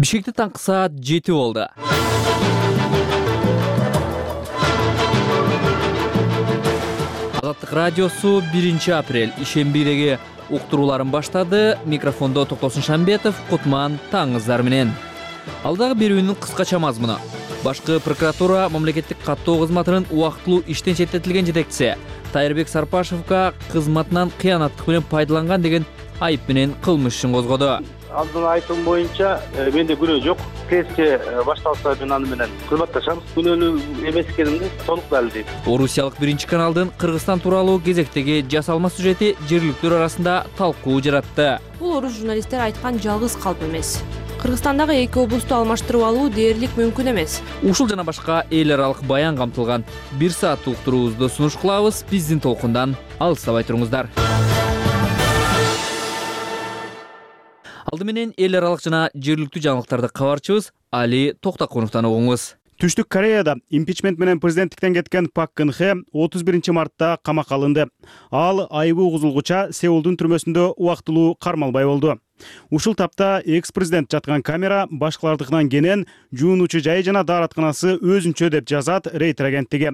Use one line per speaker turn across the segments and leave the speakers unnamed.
Бишкекте таңкы саат 7 болду. Азаттык радиосу 1 апрель ишембидеги уктурууларын баштады. Микрофондо Токтосун Шамбетов, Кутман таңыңыздар менен. Алдагы берүүнүн кыскача мазмуну. Башкы прокуратура мамлекеттик каттоо кызматынын убактылуу иштен четтетилген жетекчиси Тайырбек Сарпашевга кызматынан кыянаттык менен пайдаланган деген айып менен кылмыш ишин козгоду.
Алдын айтым боюнча менде күнөө жок. Тезче башталса мен аны менен кызматташам. Күнөөнү эмес экенимди толук далилдейт.
Орусиялык 1 Кыргызстан тууралуу кезектеги жасалма сюжети жергиликтүүлөр арасында талкуу жаратты.
Бул орус журналисттер айткан жалгыз калп эмес. Кыргызстандагы эки облусту алмаштырып алуу дээрлик мүмкүн эмес.
Ушул жана башка эл аралык баян камтылган 1 сааттык уктуруубузду сунуш кылабыз. Биздин толкундан алыстабай туруңуздар. Алды менен эл аралык жана жергиликтүү жаңылыктарды кабарчыбыз Али Токтокуновдон угуңуз.
Түштүк Кореяда импичмент менен президенттиктен кеткен Пак Кын Хе 31 мартта камакка алынды. Ал айыбы угузулгуча Сеулдун түрмөсүндө убактылуу кармалбай болду. Ушул тапта экс-президент жаткан камера башкалардыкынан кенен жуунуучу жайы жана daarатканасы өзүнчө деп жазат Рейтер агенттиги.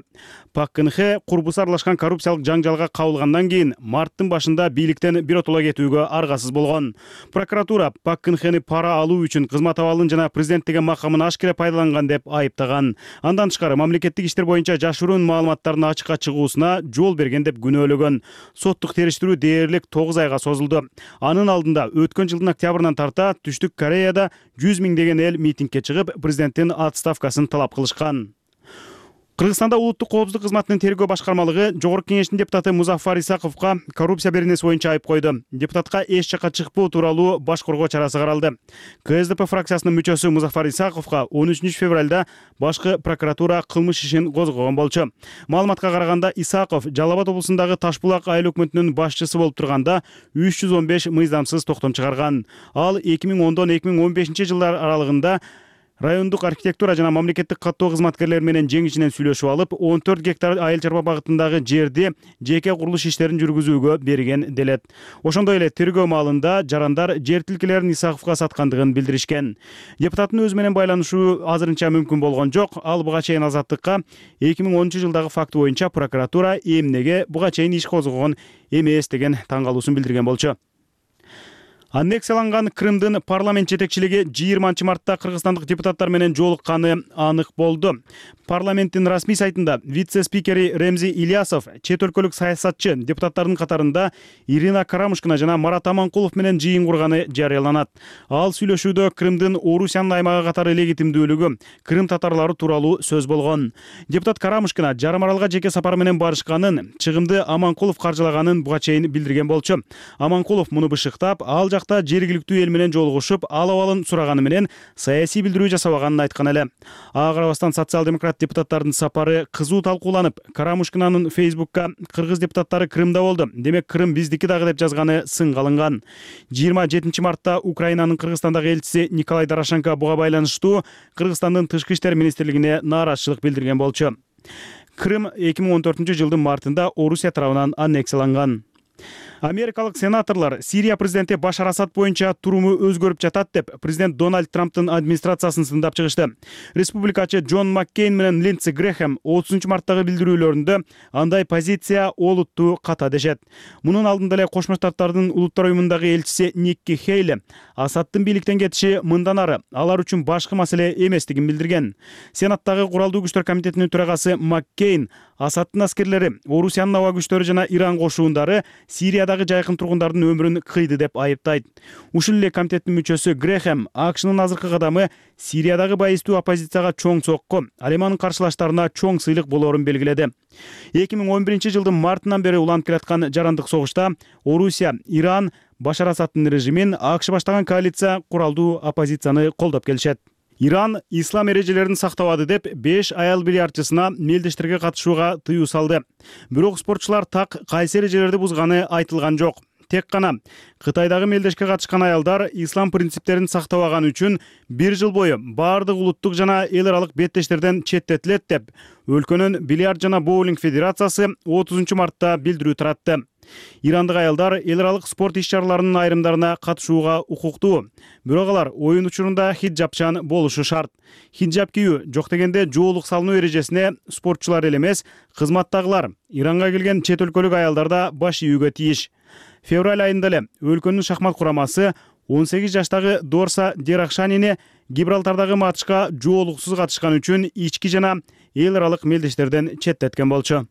Пак Кын Хе курбусу аралашкан коррупциялык жаңжалга кабылгандан кийин марттын башында бийликтен биротоло кетүүгө аргасыз болгон. Прокуратура Пак Кын Хени пара алуу үчүн кызмат абалын жана президент деген макамын ашкере пайдаланган деп айыптаган. Андан тышкары мамлекеттик иштер боюнча жашыруун маалыматтардын ачыкка чыгуусуна жол берген деп күнөөлөгөн. Соттук териштирүү дээрлик 9 айга созулду. Анын алдында өткөн жылдын октябрынан тарта Түштүк Кореяда 100 миңдеген эл митингке чыгып, президенттин отставкасын талап кылышкан. Кыргызстанда улуттук коопсуздук кызматынын тергөө башкармалыгы Жогорку кеңештин депутаты Музафар Исаковго коррупция беренеси боюнча айып койду. Депутатка эч жакка чыкпоо тууралуу баш коргоо чарасы каралды. КСДП фракциясынын мүчөсү Музафар Исаковго 13 февралда башкы прокуратура кылмыш ишин козгогон болчу. Маалыматка караганда Исаков Жалал Абад облусундагы Таш булак айыл өкмөтүнүн башчысы болуп турганда 315 мыйзамсыз токтом чыгарган. Ал 2010дон 2015 жылдар аралыгында райондук архитектура жана мамлекеттик каттоо кызматкерлери менен жеңишинен сүйлөшүп алып, 14 гектар айыл чарба багытындагы жерди жеке курулуш иштерин жүргүзүүгө берген делет. Ошондой эле тергөө маалында жарандар жер тилкелерин Исаковго саткандыгын билдиришкен. Депутаттын өзү менен байланышуу азырынча мүмкүн болгон жок. Ал буга чейин Азаттыкка 2010 жылдагы факты боюнча прокуратура эмнеге буга чейин иш козгогон эмес деген таң калуусун билдирген болчу. Аннексияланган Крымдын парламент жетекчилиги 20 мартта кыргызстандык депутаттар менен жолукканы анык болду. Парламенттин расмий сайтында вице-спикери Ремзи Ильясов чет өлкөлүк саясатчы депутаттардын катарында Ирина Карамушкина жана Марат Аманкулов менен жыйын курганы жарыяланат. Ал сүйлөшүүдө Крымдын Орусиянын аймагы катары легитимдүүлүгү, Крым татарлары тууралуу сөз болгон. Депутат Карамушкина жарым аралга жеке сапар менен барышканын, чыгымды Аманкулов каржылаганын буга чейин билдирген болчу. Аманкулов муну бышыктап, ал жергиликтүү эл менен жолугушуп, ал абалын сураганы менен саясий билдирүү жасабаганын айткан эле. Ага карабастан социал-демократ депутаттардын сапары кызуу талкууланып, Карамушкинанын Фейсбукка кыргыз депутаттары Крымда болду, демек Крым биздики дагы деп жазганы сынга алынган. 27 мартта Украинанын Кыргызстандагы элчиси Николай Дорошенко буга байланыштуу Кыргызстандын тышкы иштер министрлигине нааразычылык билдирген болчу. Крым 2014 жылдын мартында Орусия тарабынан аннексияланган. Америкалык сенаторлор Сирия президенти Башар Асад боюнча туруму өзгөрүп жатат деп президент Дональд Трамптын администрациясын сындап чыгышты. Республикачы Джон Маккейн менен Линдси Грэхэм 30 марттагы билдирүүлөрүндө андай позиция олуттуу ката дешет. Мунун алдында эле Кошмо Штаттардын улуттар уюмундагы элчиси Никки Хейли Асадтын бийликтен кетиши мындан ары алар үчүн башкы маселе эместигин билдирген. Сенаттагы куралдуу күчтөр комитетинин төрагасы Маккейн Асадтын аскерлери, Орусиянын аба күчтөрү жана Иран кошуундары Сириядагы жайкын тургундардын өмүрүн кыйды деп айыптайт. Ушул эле комитеттин мүчөсү Грэхэм АКШнын азыркы кадамы Сириядагы байыстуу оппозицияга чоң сокку, ал эми анын каршылаштарына чоң сыйлык болоорун белгиледи. 2011 жылдын мартынан бери уланып келаткан жарандык согушта Орусия, Иран, Башар Асадтын режимин АКШ баштаган коалиция куралдуу оппозицияны колдоп келишет. Иран ислам эрежелерин сактабады деп 5 аял бильярдчысына мелдештерге катышууга тыюу салды. Бирок спортчулар так кайсы эрежелерди бузганы айтылган жок. тек гана Кытайдагы мелдешке катышкан аялдар ислам принциптерин сактабаганы үчүн 1 жыл бою баардык улуттук жана эл аралык беттештерден четтетилет деп өлкөнүн бильярд жана боулинг федерациясы 30 мартта билдирүү таратты. Ирандык аялдар эл аралык спорт иш-чараларынын айрымдарына катышууга укуктуу. Бирок алар оюн учурунда хиджабчан болушу шарт. Хиджаб кийүү жок дегенде жоолук салынуу эрежесине спортчулар эле эмес, кызматтагылар, Иранга келген чет өлкөлүк аялдар да баш ийүүгө тийиш. Февраль айында эле өлкөнүн шахмат курамасы 18 жаштагы Дорса Дерахшанини Гибралтардагы матчка жоолуксуз катышкан үчүн ички жана эл аралык мелдештерден четтеткен болчу.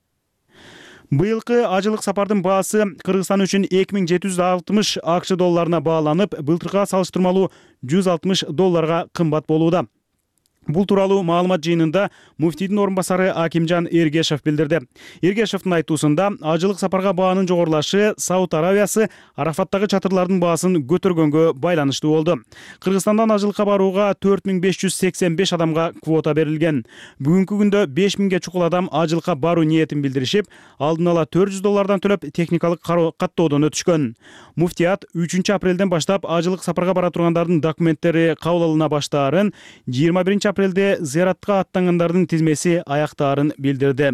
Быйылкы ажылык сапардын баасы Кыргызстан үчүн 2760 АКШ долларына бааланып, былтырга салыштырмалуу $160 кымбат болууда. Бул тууралуу маалымат жыйынында муфтийдин орун басары Акимжан Эргешев билдирди. Эргешевдин айтуусунда ажылык сапарга баанын жогорулашы Сауд Аравиясы Арафаттагы чатырлардын баасын көтөргөнгө байланыштуу болду. Кыргызстандан ажылыкка барууга 4585 адамга квота берилген. Бүгүнкү күндө 5000ге чукул адам ажылыкка баруу ниетин билдиришип, алдын ала $400 төлөп техникалык каттоодон өтүшкөн. Муфтият 3 апрелден баштап ажылык сапарга бара тургандардын документтери кабыл алына баштаарын, 21 апрелде зыяратка аттангандардын тизмеси аяктаарын билдирди.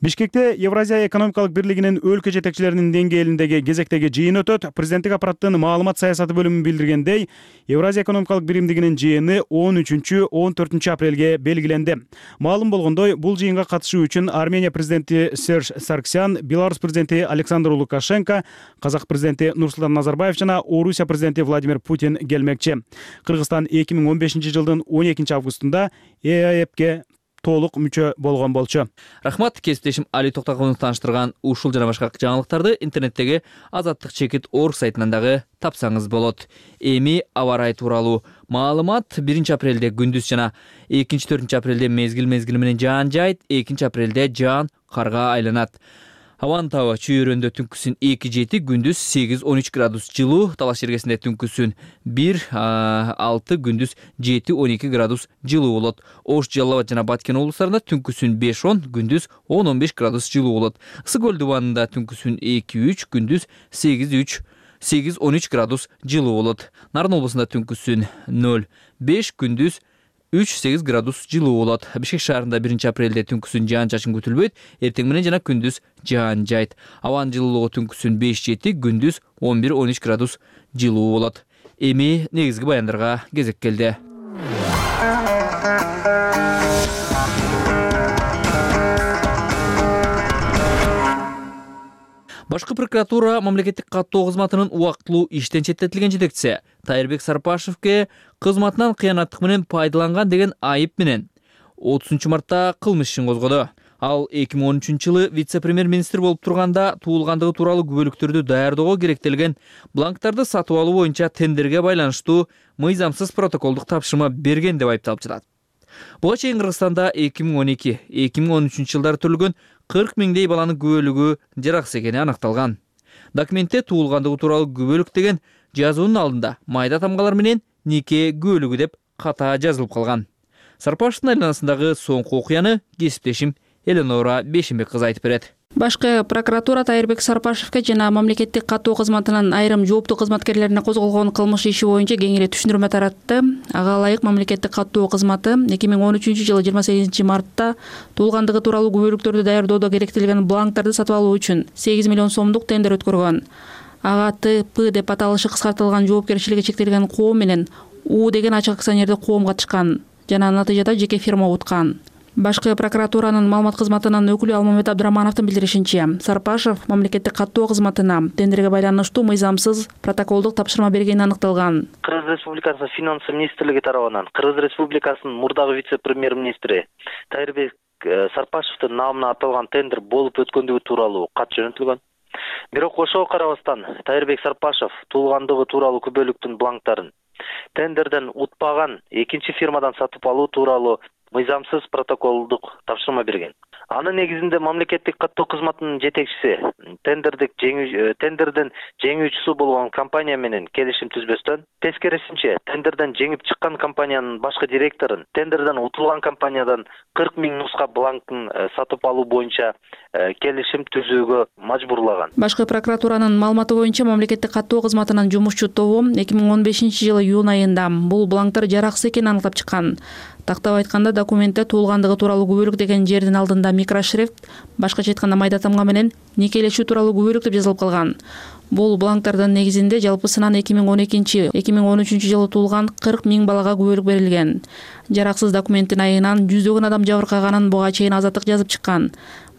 Бишкекте Евразия экономикалык бирлигинин өлкө жетекчилеринин деңгээлиндеги кезектеги жыйын өтөт. Президенттик аппараттын маалымат саясаты бөлүмү билдиргендей, Евразия экономикалык биримдигинин жыйыны 13-14 апрелге белгиленди. Маалым болгондой, бул жыйынга катышуу үчүн Армения президенти Серж Сарксян, Беларусь президенти Александр Лукашенко, Казак президенти Нурсултан Назарбаев жана Орусия президенти Владимир Путин келмекчи. Кыргызстан 2015 жылдын 12 августунда ЕАЭПке толук мүчө болгон болчу.
Рахмат, кесиптешим Али Токтогуловну тааныштырган ушул жана башка жаңылыктарды интернеттеги Азаттык чекит орг сайтынан дагы тапсаңыз болот. Эми аба ырайы тууралуу маалымат 1 апрелде күндүз жана 2-4 апрелде мезгил менен жаан жайт, 2 апрелде жаан карга айланат. Абанын табы чүйөрөндө түнкүсүн 2-7, күндүз 8-13 градус жылуу, Талаш жергесинде түнкүсүн 1-6, күндүз 7-12 градус жылуу болот. Ош, Жалал Абад жана Баткен облустарында түнкүсүн 5-10, күндүз 10-15 градус жылуу болот. Ысык көл дубанында түнкүсүн 2-3, күндүз 8-13 градус жылуу болот. Нарын облусунда түнкүсүн 0-5, күндүз 3-8 градус жылуу болот. Бишкек шаарында 1 апрелде түнкүсүн жаан чачын күтүлбөйт, эртең менен жана күндүз жаан жайт. Абанын жылуулугу түнкүсүн 5-7, күндүз 11-13 градус жылуу болот. Эми негизги баяндарга кезек келди. Башкы прокуратура мамлекеттик каттоо кызматынын убактылуу иштен четтетилген жетекчиси Тайырбек Сарпашевке кызматынан кыянаттык менен пайдаланган деген айып менен 30 мартта кылмыш ишин козгоду. Ал 2013 жылы вице-премьер-министр болуп турганда туулгандыгы тууралуу күбөлүктөрдү даярдоого керектелген бланктарды сатып алуу боюнча тендерге байланыштуу мыйзамсыз протоколдук тапшырма берген деп айыпталып жатат. Буга чейин Кыргызстанда 2012-2013 жылдары төрөлгөн 40 миңдей баланын күбөлүгү жараксыз экени аныкталган. Документте туулгандыгы тууралуу күбөлүк деген жазуунун алдында майда тамгалар менен нике күбөлүгү деп ката жазылып калган. Сарпашевдин айланасындагы соңку окуяны кесиптешим Эленора Бешимбек кызы айтып берет.
Башкы прокуратура Тайырбек Сарпашевке жана мамлекеттик каттоо кызматынын айрым жооптуу кызматкерлерине козголгон кылмыш иши боюнча кеңири түшүндүрмө таратты. Ага ылайык мамлекеттик каттоо кызматы 2013 жылы 28 мартта туулгандыгы тууралуу күбөлүктөрдү даярдоодо керектелген бланктарды сатып алуу үчүн 8 миллион сомдук тендер өткөргөн. Ага ТП деп аталышы кыскартылган жоопкерчилиги чектелген коом менен У деген ачык акционердик коом катышкан жана натыйжада жеке фирма уткан. Башкы прокуратуранын маалымат кызматынын өкүлү Алмамет Абдырамановдун билдиришинче, Сарпашев мамлекеттик каттоо кызматына тендерге байланыштуу мыйзамсыз протоколдук тапшырма бергени аныкталган.
Кыргыз Республикасынын финансы министрлиги тарабынан Кыргыз Республикасынын мурдагы вице-премьер-министри Тайырбек Сарпашевдин намына аталган тендер болуп өткөндүгү тууралуу кат жөнөтүлгөн. Бирок ошого карабастан Тайырбек Сарпашев туулгандыгы тууралуу күбөлүктүн бланктарын тендерден утпаган экинчи фирмадан сатып алуу тууралуу мыйзамсыз протоколдук тапшырма берген. Анын негизинде мамлекеттик каттоо кызматынын жетекчиси тендердин жеңүүчүсү болгон компания менен келишим түзбөстөн, тескерисинче тендерден жеңип чыккан компаниянын башкы директорун тендерден утулган компаниядан 40 000 нуска бланкын сатып алуу боюнча келишим түзүүгө мажбурлаган.
Башкы прокуратуранын маалыматы боюнча мамлекеттик каттоо кызматынын жумушчу тобу 2015-жылы июнь айында бул бланктар жараксыз экенин аныктап чыккан. Тактап айтканда документте туулгандыгы тууралуу күбөлүк деген жердин алдында микрошрифт, башкача айтканда майда тамга менен никелешүү тууралуу күбөлүк деп жазылып калган. Бул бланктардын негизинде жалпысынан 2012-2013 жылы туулган 40 000 балага күбөлүк берилген. Жараксыз документтин айынан жүздөгөн адам жабыркаганын буга чейин Азаттык жазып чыккан.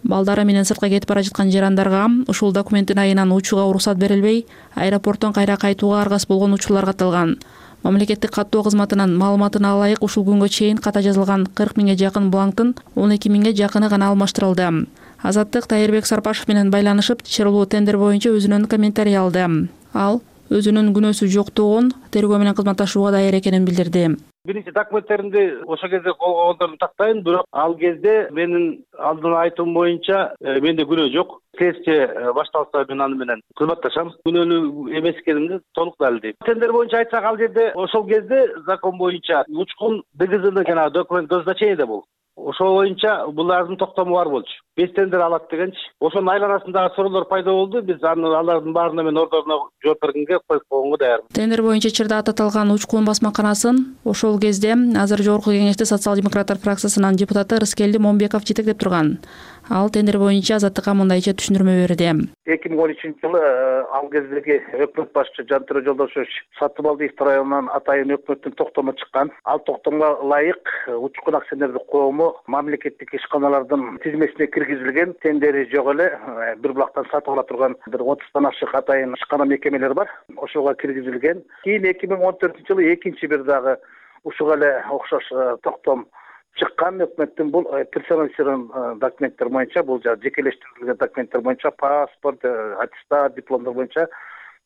Балдары менен сыртка кетип бара жаткан жарандарга ушул документтин айынан учууга уруксат берилбей, аэропорттон кайра кайтууга аргас болгон учурлар катталган. Мамлекеттик каттоо кызматынын маалыматына ылайык ушул күнгө чейин ката жазылган 40 000 жакын бланктын 12 000 жакыны гана алмаштырылды. Азаттык Тайырбек Сарпашев менен байланышып, чыгарылуу тендер боюнча өзүнүн комментарий алды. Ал өзүнүн күнөөсү жоктугун, тергөө менен кызматташууга даяр экенин билдирди.
Биринчи документтеримди ошол кезде колго алгандарын тактайын, бирок ал кезде менин алдын айтуум боюнча менде күнөө жок. Тезче башталса мен аны менен кызматташам. Күнөөнү эмес экенимди толук далилдейм. Тендер боюнча айтсак, ал жерде ошол кезде закон боюнча учкун ДГЗны жана документ назначение бул. Ошол боюнча булардын токтому бар болчу. 5 тендер алат дегенчи. Ошонун айланасындагы суроолор пайда болду. Биз алардын баарына мен ордоруна жооп бергенге коюп койгонго даярмын.
Тендер боюнча Чырдаатта аталган учкун басмаканасын ошол кезде азыр Жогорку Кеңеште социал-демократтар фракциясынын депутаты Рыскелди Момбеков жетектеп турган. Ал тендер боюнча Азаттыкка мындайча түшүндүрмө берди.
2013-жылы ал кездеги өкмөт башчы Жантөрө Жолдошевич сатып алды районунан атайын өкмөттүн токтому чыккан. Ал токтомго ылайык учкун акционердик коому мамлекеттик ишканалардын тизмесине киргизилген, тендери жок эле бир булактан сатып ала турган бир 30тан ашык атайын ишкана мекемелер бар. Ошого киргизилген. Кийин 2014-жылы экинчи бир дагы ушуга эле окшош токтом чыккан өкмөттүн бул персонализирован документтер боюнча, бул жекелештирилген документтер боюнча паспорт, аттестат, дипломдор боюнча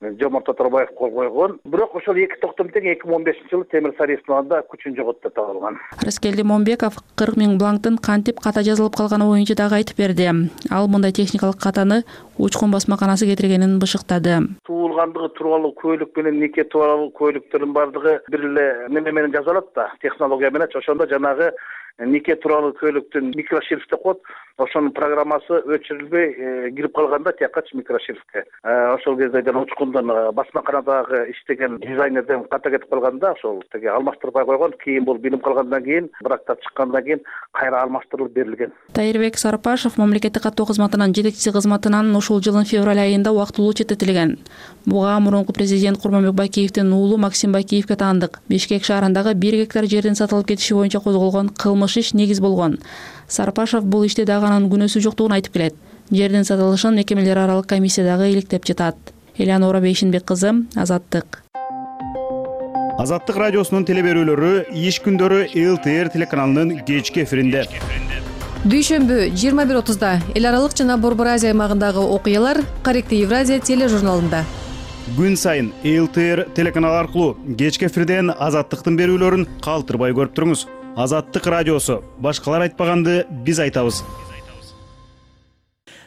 Жомарт Оторбаев кол койгон. Бирок ошол эки токтом тең 2015-жылы Темир Сариевдин алдында күчүн жоготту деп табылган.
Рыскелди Момбеков 40 000 бланктын кантип ката жазылып калганы боюнча дагы айтып берди. Ал мындай техникалык катаны учкун басмаканасы кетиргенин бышыктады.
Туулгандыгы тууралуу көйлүк менен нике тууралуу көйлүктөрдүн бардыгы бир эле неме менен жазылат да, технология менен. Ошондо жанагы нике тууралуу көйлүктүн микрошрифт деп коет. Ошонун программасы өчүрүлбөй кирип калганда тиякачы микрошрифтке. Ошол кезде жана учкундун басмаканадагы иштеген дизайнерден ката кетип калганда ошол теге алмаштырбай койгон. Кийин бул билим калгандан кийин, брактап чыккандан кийин кайра алмаштырылып берилген.
Тайырбек Сарпашев мамлекеттик каттоо кызматынын жетекчиси кызматынан ушул жылдын февраль айында убактылуу четтетилген. Буга мурунку президент Курманбек Бакиевдин уулу Максим Бакиевге таандык. Бишкек шаарындагы 1 гектар жердин сатылып кетиши боюнча козголгон кылмыш иш негиз болгон. Сарпашев бул иште дагы анын күнөөсү жоктугун айтып келет. Жердин сатылышын мекемелер аралык комиссия дагы иликтеп жатат. Элеонора Бейшинбек кызы, Азаттык.
Азаттык радиосунун телеберүүлөрү иш күндөрү ЛТР телеканалынын кечки эфиринде.
Дүйшөмбү 21:30 эл аралык жана Борбор Азия аймагындагы окуялар Корректив Евразия тележурналында.
Күн сайын ЛТР телеканалы аркылуу кечки эфирден Азаттыктын берүүлөрүн калтырбай көрүп туруңуз. Азаттык радиосу. Башкалар айтпаганды биз айтабыз.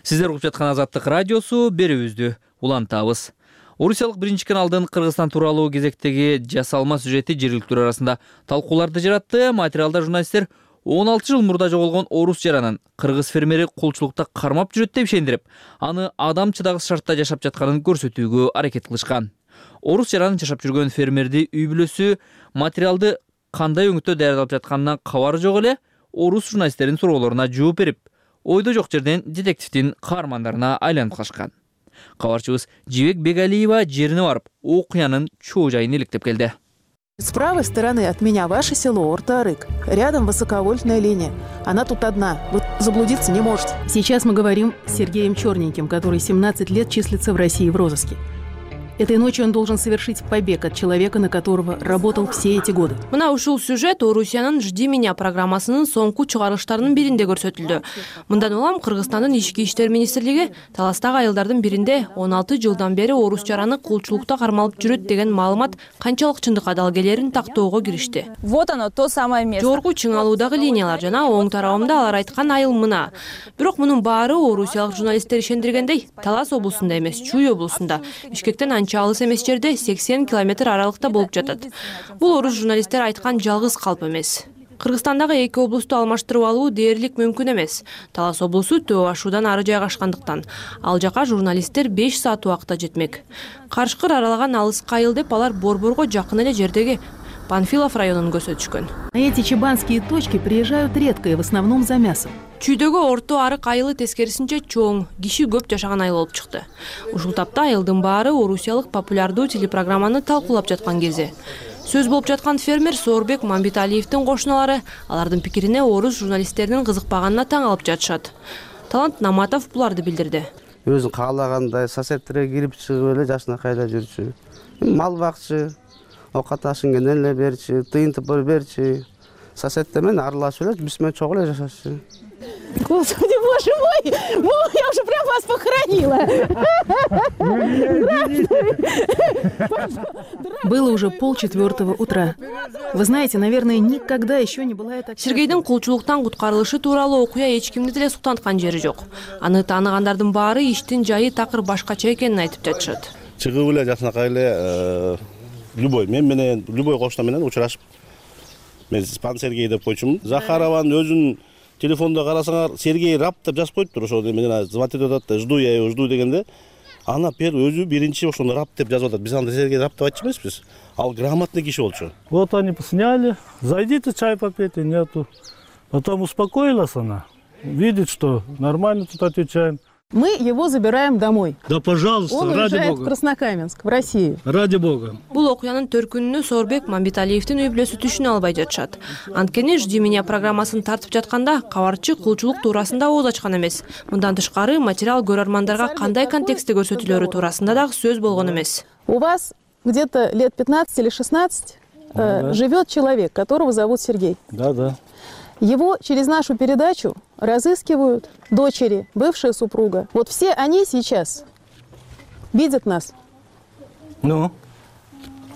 Сиздер угуп жаткан Азаттык радиосу, берүүбүздү улантабыз. Орусиялык биринчи каналдын Кыргызстан тууралуу кезектеги жасалма сюжети жергиликтүү арасында талкууларды жаратты. Материалда журналисттер 16 жыл мурда жоголгон орус жаранын кыргыз фермери кулчулукта кармап жүрөт деп ишендирип, аны адам чыдагыс шартта жашап жатканын көрсөтүүгө аракет кылышкан. Орус жаранын жашап жүргөн фермерди үй бүлөсү материалды кандай өңүттө даярдалып жатканынан кабары жок эле орус журналисттердин суроолоруна жооп берип, ойдо жок жерден детективдин каармандарына айланып калышкан. Кабарчыбыз Жибек Бегалиева жерине барып, окуянын чоо жайын иликтеп келди.
С правой стороны от меня ваше село Орта-Арык. Рядом высоковольтная линия. Она тут одна. Вы заблудиться не можете.
Сейчас мы говорим с Сергеем Черненьким, который 17 лет числится в России в розыске.
Этой ночью он должен совершить побег от человека, на которого работал все эти годы.
Мына ушул сюжет Орусиянын «Жди меня» программасынын соңку чыгарылыштарынын биринде көрсөтүлдү. Мындан улам Кыргызстандын Ички иштер министрлиги таластагы айылдардын биринде 16 жылдан бери орус жараны кулчулукта кармалып жүрөт деген маалымат канчалык чындыкка далгелерин тактоого киришти.
Вот оно, то самое место.
Жогорку чыңалуудагы линиялар жана оң тарабымда алар айткан айыл мына. Бирок мунун баары орусиялык журналисттер ишендиргендей Талас облусунда эмес, Чүй облусунда, Бишкектен анча алыс эмес жерде 80 километр аралыкта болуп жатат. Бул орус журналисттер айткан жалгыз калп эмес. Кыргызстандагы эки облусту алмаштырып алуу дээрлик мүмкүн эмес. Талас облусу Төө Ашуудан ары жайгашкандыктан ал жака журналисттер 5 саат убакытта жетмек. Карышкыр аралаган алыска айыл деп алар Борборго жакын эле жердеги Панфилов районун көрсөтүшкөн.
Эти чебанские точки приезжают редко и в основном за мясом.
Чүйдөгү орто арык айылы тескерисинче чоң, киши көп жашаган айыл болуп чыкты. Ушул тапта айылдын баары орусиялык популярдуу телепрограмманы талкуулап жаткан кези. Сөз болуп жаткан фермер Соорбек Мамбеталиевдин кошуналары алардын пикирине орус журналисттеринин кызыкпаганына таң алып жатышат. Талант Наматов буларды билдирди.
Өзүн каалагандай соседтерге кирип чыгып эле жашынакай эле жүрчү. Мал бакчы, окат ашын эле берчи, тыйын тыпыр берчи. Соседтер менен аралашып эле биз менен чогуу эле жашашчу.
Господи, боже мой! Я уже прям вас похоронила.
Было уже 3:30 утра. Вы знаете, наверное, никогда еще не была эта...
Сергейдин кулчулуктан куткарылышы тууралуу окуя эч кимди деле суктанткан жери жок. Аны тааныгандардын баары иштин жайы такыр башкача экенин айтып жатышат.
Чыгып эле жакынакай эле любой мен менен любой кошуна менен учурашып. Мен Пан Сергей деп койчумун. Захарованын өзүнүн телефонда карасаңар, Сергей рап деп жазып коюптур, ошо менен звонить этип атат, жду я его, жду дегенде. Ана өзү биринчи ошону рап деп жазып атат. Биз анда Сергей рап деп айтчу эмеспиз. Ал грамотный киши болчу.
Вот они посняли. Зайдите чай попейте, нету. Потом успокоилась она. Видит, что нормально тут отвечаем.
Мы его забираем домой.
Да, пожалуйста,
Он
ради
уезжает
бога.
в Краснокаменск, в Россию.
Ради бога.
Бул окуянын төркүнүнө Соорбек Мамбеталиевдин үй бүлөсү түшүнө албай жатышат. Анткени «Жди меня» программасын тартып жатканда кабарчы кулчулук туурасында ооз ачкан эмес. Мындан тышкары материал көрөрмандарга кандай контекстте көрсөтүлөрү туурасында дагы сөз болгон эмес.
У вас где-то лет 15 или 16 живет человек, которого зовут Сергей.
Да.
Его через нашу передачу разыскивают дочери, бывшая супруга. Вот все они сейчас видят нас.
Ну?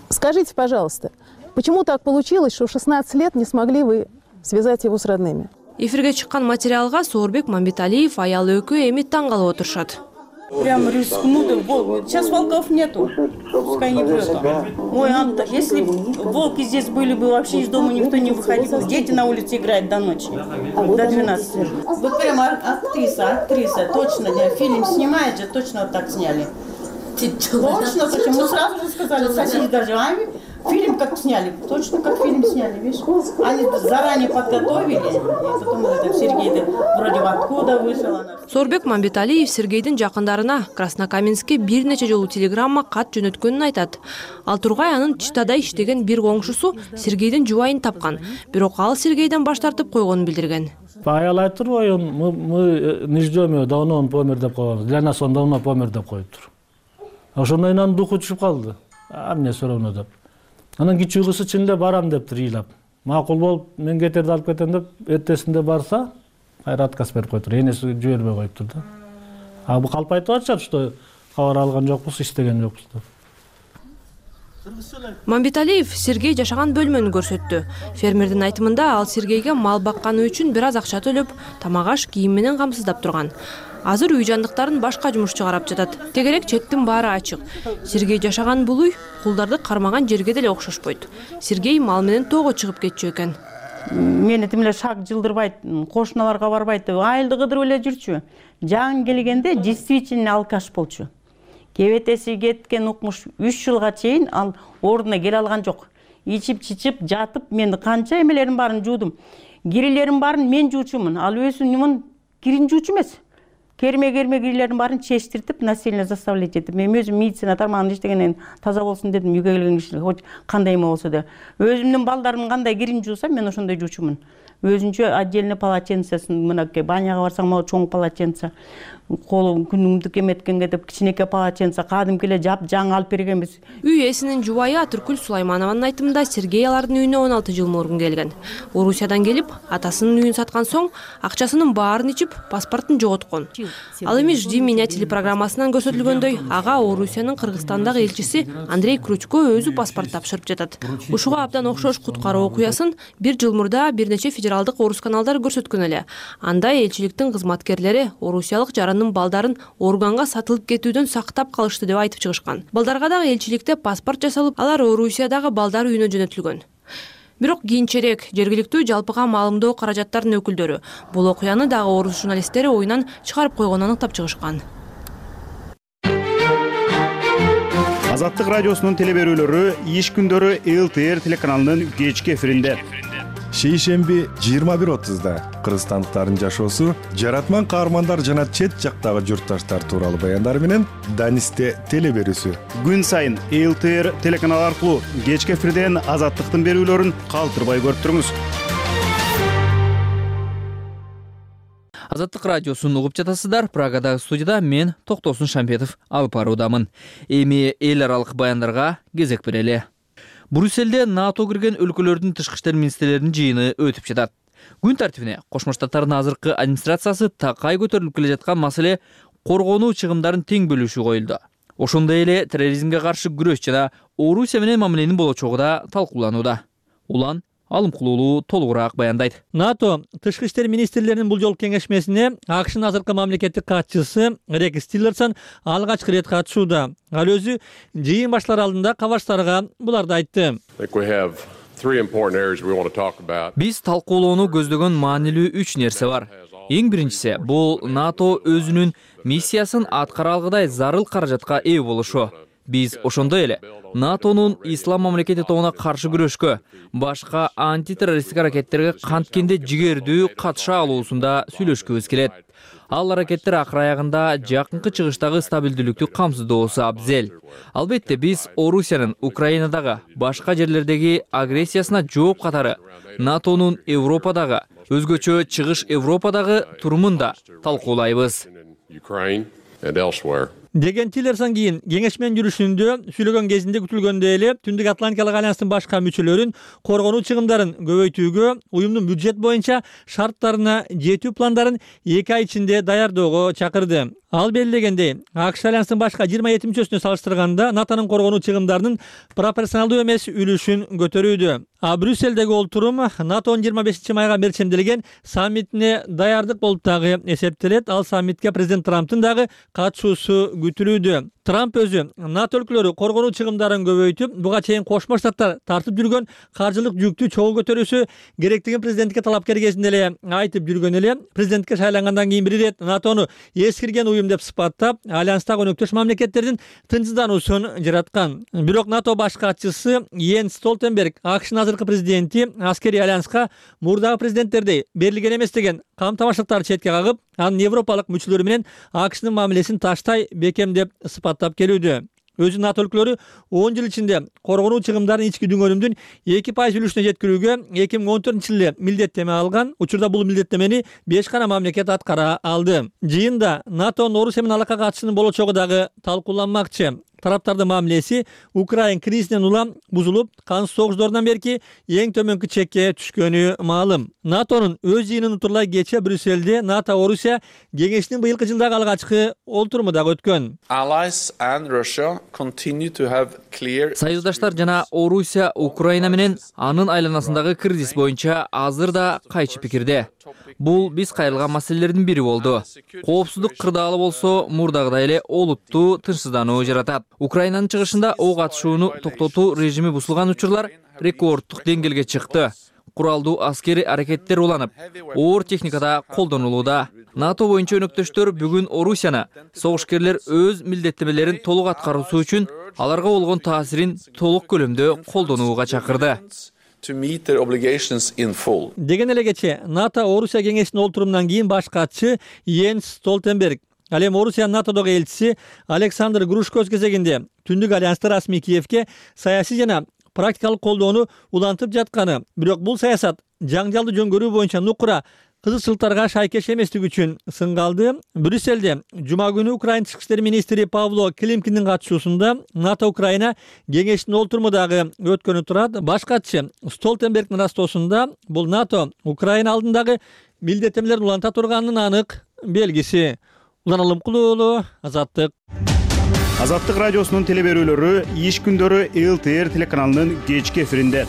Скажите, пожалуйста, почему так получилось, что в 16 лет не смогли вы связать его с родными?
Эфирге чыккан материалга Соорбек Мамбеталиев аялы экөө эми таң калып отурушат.
Прям рискнули, волк. Сейчас волков нету, пускай не врет. Ой, Анта, если волки здесь были бы, вообще из дома никто не выходил. Дети на улице играют до ночи, до 12. Вы прямо актриса, точно, фильм снимает же, точно вот так сняли. Точно, почему сразу же сказали, соседи даже, фильм как сняли, точно как фильм сняли, видишь? Они заранее подготовили, и потом это Сергей вроде откуда вышел.
Соорбек Мамбеталиев Сергейдин жакындарына Краснокаменскке бир нече жолу телеграмма кат жөнөткөнүн айтат. Ал тургай анын Читада иштеген бир коңшусу Сергейдин жубайын тапкан, бирок ал Сергейден баш тартып койгонун билдирген.
Аял айтып турбайбы, мы не ждем его, давно он помер деп койгон. Для нас он давно помер деп коюптур. Ошондон кийин анын духу түшүп калды. Мне все равно деп. Анан кичүү кызы чын эле барам дептир ыйлап. Макул болуп, мен кетерди алып кетем деп, эртесинде барса, кайра отказ берип коюптур. Энеси жибербей коюптур да. Бул калп айтып атышат, что кабар алган жокпуз, иштеген жокпуз деп.
Мамбеталиев Сергей жашаган бөлмөнү көрсөттү. Фермердин айтымында ал Сергейге мал бакканы үчүн бир аз акча төлөп, тамак-аш, кийим менен камсыздап турган. Азыр үй жандыктарын башка жумушчу карап жатат. Тегерек четтин баары ачык. Сергей жашаган бул үй кулдарды кармаган жерге деле окшошпойт. Сергей мал менен тоого чыгып кетчү экен.
Мени тим эле шак жылдырбайт, кошуналарга барбайт деп айылды кыдырып эле жүрчү. Жан келгенде действительно алкаш болчу. Кебетеси кеткен укмуш 3 жылга чейин ал ордуна келе алган жок. Ичип-чичип жатып, мен канча эмелерим барын жуудум. Кирилерим барын мен жуучумун. Ал өзүнүн кирин жуучу эмес. Керме кирилерин барын чечтиртип, насильно заставлять этип. Мен өзүм медицина тармагында иштегенден таза болсун дедим, үйгө келген кишилер, хоть кандай эме болсо да. Өзүмдүн балдарымдын кандай кирин жуусам, мен ошондой жуучумун. өзүнчө отдельный полотенцесин мынакей баняга барсаң могу чоң полотенце, колум күнүмдүк эметкенге деп кичинекей полотенце кадимки эле жаңы алып бергенбиз.
Үй ээсинин жубайы Атыркүл Сулайманованын айтымында Сергей алардын үйүнө 16 жыл мурун келген. Орусиядан келип, атасынын үйүн саткан соң акчасынын баарын ичип, паспортун жоготкон. Ал эми «Жди меня» телепрограммасынан көрсөтүлгөндөй, ага Орусиянын Кыргызстандагы элчиси Андрей Кручко өзү паспорт тапшырып жатат. Ушуга абдан окшош куткаруу окуясын 1 жыл мурда бир нече федералдык орус каналдары көрсөткөн эле. Анда элчиликтин кызматкерлери орусиялык жарандын балдарын органга сатылып кетүүдөн сактап калышты деп айтып чыгышкан. Балдарга дагы элчиликте паспорт жасалып, алар Орусиядагы балдар үйүнө жөнөтүлгөн. Бирок кийинчерээк жергиликтүү жалпыга маалымдоо каражаттарынын өкүлдөрү бул окуяны дагы орус журналисттери оюнан чыгарып койгонун аныктап чыгышкан.
Азаттык радиосунун телеберүүлөрү иш күндөрү ЛТР телеканалынын кечки эфиринде.
Шейшемби 21:30 кыргызстандыктардын жашоосу, жаратман каармандар жана чет жактагы журтташтар тууралуу баяндар менен Данисте телеберүүсү.
Күн сайын ЛТР телеканалы аркылуу кечки эфирден Азаттыктын берүүлөрүн калтырбай көрүп туруңуз.
Азаттык радиосун угуп жатасыздар. Прагадагы студияда мен Токтосун Шамбетов алып баруудамын. Эми эл аралык баяндарга кезек берели. Брюсселде НАТО кирген өлкөлөрдүн тышкы иштер министрлеринин жыйыны өтүп жатат. Күн тартибине Кошмо Штаттардын азыркы администрациясы такай көтөрүлүп келе жаткан маселе коргонуу чыгымдарын тең бөлүшүү коюлду. Ошондой эле терроризмге каршы күрөш жана Орусия менен мамиленин болочогу да талкууланууда. Улан Алымкулуулу толугураак баяндайт.
НАТО тышкы иштер министрлеринин бул жолку кеңешмесине АКШнын азыркы мамлекеттик катчысы Рекс Тиллерсон алгачкы ирет катышууда. Ал өзү жыйын башталар алдында кабарчтарга буларды айтты.
Биз талкуулоону көздөгөн маанилүү 3 нерсе бар. Эң биринчиси бул НАТО өзүнүн миссиясын аткара алгыдай зарыл каражатка ээ болушу. Биз ошондой эле НАТОнун ислам мамлекети тобуна каршы күрөшкө, башка антитеррористтик аракеттерге канткенде жигердүү катыша алуусунда сүйлөшкүбүз келет. Ал аракеттер акыр аягында жакынкы чыгыштагы стабилдүүлүктү камсыздоосу абзел. Албетте биз Орусиянын Украинадагы башка жерлердеги агрессиясына жооп катары НАТОнун Европадагы, өзгөчө Чыгыш Европадагы турумун да талкуулайбыз.
Деген Тиллерсон кийин кеңешменин жүрүшүндө сүйлөгөн кезинде күтүлгөндөй эле Түндүк Атлантикалык альянстын башка мүчөлөрүн коргонуу чыгымдарын көбөйтүүгө, уюмдун бюджет боюнча шарттарына жетүү пландарын 2 ай ичинде даярдоого чакырды. Ал белгилегендей, АКШ альянстын башка 27 мүчөсүнө салыштырганда НАТОнун коргонуу чыгымдарынын пропорционалдуу эмес үлүшүн көтөрүүдө. А Брюсселдеги олтурум НАТОнун 25 майга мерчемделген саммитине даярдык болуп дагы эсептелет. Ал саммитке президент Трамптын дагы катышуусу күтүлүүдө. Трамп өзү НАТО өлкөлөрү коргонуу чыгымдарын көбөйтүп, буга чейин Кошмо Штаттар тартып жүргөн каржылык жүктү чогуу көтөрүүсү керектигин президентке талапкер кезинде эле айтып жүргөн эле. Президентке шайлангандан кийин бир ирет НАТОну эскирген уюм деп сыпаттап, альянстагы өнөктөш мамлекеттердин тынчсыздануусун жараткан. Бирок НАТО баш катчысы Йенс Столтенберг АКШнын азыркы президенти аскерий альянска мурдагы президенттердей берилген эмес деген камтамаштыктарды четке кагып, анын европалык мүчөлөрү менен АКШнын мамилесин таштай бекемдеп сыпаттап келүүдө. Өзү НАТО өлкөлөрү 10 жыл ичинде коргонуу чыгымдарын ички дүңгөнүмдүн 2% үлүшүнө жеткирүүгө 2014-жылы милдеттеме алган. Учурда бул милдеттемени 5 гана мамлекет аткара алды. Жыйында НАТОнун Орусия менен алака катышынын болочогу дагы талкууланмакчы. Тараптардын мамилеси Украин кризисинен улам бузулуп, кансыз согуштардан берки эң төмөнкү чекке түшкөнү маалым. НАТОнун өз жыйынын утурлай кече Брюсселде НАТО Орусия кеңешинин быйылкы жылдагы алгачкы олтуруму дагы өткөн.
Союздаштар жана Орусия Украина менен анын айланасындагы кризис боюнча азыр да кайчы пикирде. Бул биз кайрылган маселелердин бири болду. Коопсуздук кырдаалы болсо мурдагыдай эле олуттуу тынчсыздануу жаратат. Украинанын чыгышында ок атышууну токтотуу режими бузулган учурлар рекорддук деңгээлге чыкты. Куралдуу аскери аракеттер уланып, оор техникада колдонулууда. НАТО боюнча өнөктөштөр бүгүн Орусияны согушкерлер өз милдеттемелерин толук аткаруусу үчүн аларга болгон таасирин толук көлөмдө колдонууга чакырды.
Деген эле кече НАТО Орусия кеңешинин олтурумунан кийин баш катчы Йенс Столтенберг, ал эми Орусиянын НАТОдогу элчиси Александр Грушко өз кезегинде Түндүк альянсты расмий Киевке саясий жана практикалык колдоону улантып жатканы, бирок бул саясат жаңжалды жөнгөрүү боюнча нукура кызыкчылыктарга шайкеш эместиги үчүн сынга алды. Брюссельде жума күнү Украина тышкы иштер министри Павло Климкиндин катышуусунда НАТО Украина кеңешинин олтуруму дагы өткөнү турат. Баш катчы Столтенбергдин ырастоосунда бул НАТО Украина алдындагы милдеттенмелерин уланта турганынын анык белгиси. Улан Алымкулуу уулу, Азаттык.
Азаттык радиосунун телеберүүлөрү иш күндөрү ЛТР телеканалынын кечки эфиринде.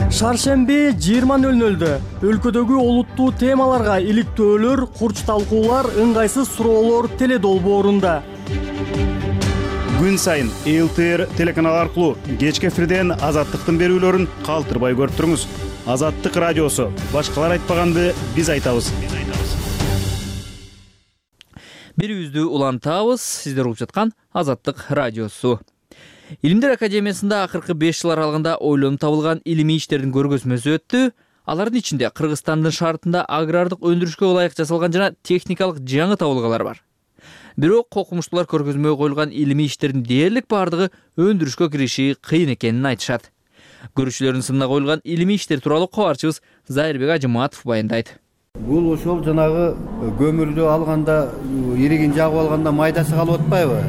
Шаршемби 20:00 өлкөдөгү олуттуу темаларга иликтөөлөр, курч талкуулар, ыңгайсыз суроолор теле долбоорунда.
Күн сайын ЛТР телеканалы аркылуу кечки эфирден Азаттыктын берүүлөрүн калтырбай көрүп туруңуз. Азаттык радиосу. Башкалар айтпаганды биз айтабыз.
Берүүбүздү улантабыз. Сиздер угуп жаткан Азаттык радиосу. Илимдер академиясында акыркы 5 жыл аралыгында ойлонуп табылган илимий иштердин көргөзмөсү өттү. Алардын ичинде Кыргызстандын шартында агрардык өндүрүшкө ылайык жасалган жана техникалык жаңы табылгалар бар. Бирок окумуштуулар көргөзмөгө коюлган илимий иштердин дээрлик бардыгы өндүрүшкө кириши кыйын экенин айтышат. Көрүүчүлөрдүн сынына коюлган илимий иштер тууралуу кабарчыбыз Зайырбек Ажыматов баяндайт.
Бул ошол жанагы көмүрдү алганда, иригин жагып алганда майдасы калып атпайбы?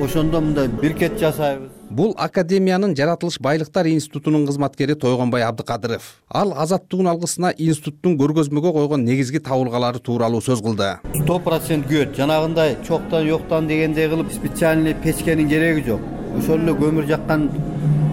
Ошондо мындай биркет жасайбыз.
Бул Академиянын Жаратылыш байлыктар институтунун кызматкери Тойгонбай Абдыкадыров. Ал азаттыгын алгысына институттун көргөзмөгө койгон негизги табылгалары тууралуу сөз кылды.
100% күйөт. Жанагындай чоктон жоктон дегендей кылып специальный печкенин кереги жок. Ошол эле көмүр жаккан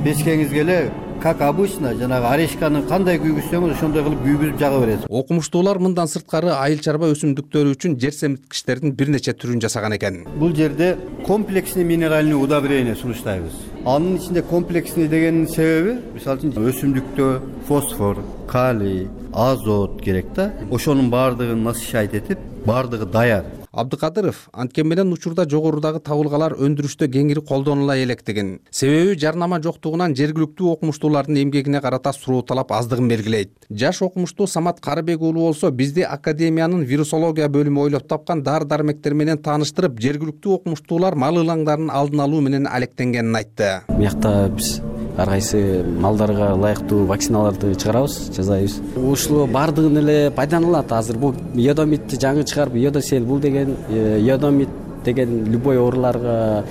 печкеңиз келе, как обычно, жанагы орешканы кандай күйгүзсөңүз ошондой кылып күйгүзүп жага бересиз.
Окумуштуулар мындан сырткары айыл чарба өсүмдүктөрү үчүн жер семирткичтердин бир нече түрүн жасаган экен.
Бул жерде комплексный минеральный удобрение сунуштайбыз. Анын ичинде комплексный дегенин себеби, мисалы үчүн өсүмдүктө фосфор, калий, азот керек да. Ошонун баардыгын насыщать этип, баардыгы даяр.
Абдыкадыров анткени менен учурда жогорудагы табылгалар өндүрүштө кеңири колдонула электигин, себеби жарнама жоктугунан жергиликтүү окумуштуулардын эмгегине карата суроо талап аздыгын белгилейт. Жаш окумуштуу Самат Карыбек уулу болсо бизди Академиянын вирусология бөлүмү ойлоп тапкан дары-дармектер менен тааныштырып, жергиликтүү окумуштуулар мал ылаңдарын алдын алуу менен алектенгенин айтты.
Буякта биз ар кайсы малдарга ылайыктуу вакциналарды чыгарабыз, жасайбыз. Ушул баардыгын эле пайдаланылат. Азыр бул йодомитти жаңы чыгарып, йодосел бул деген йодомит деген любой ооруларга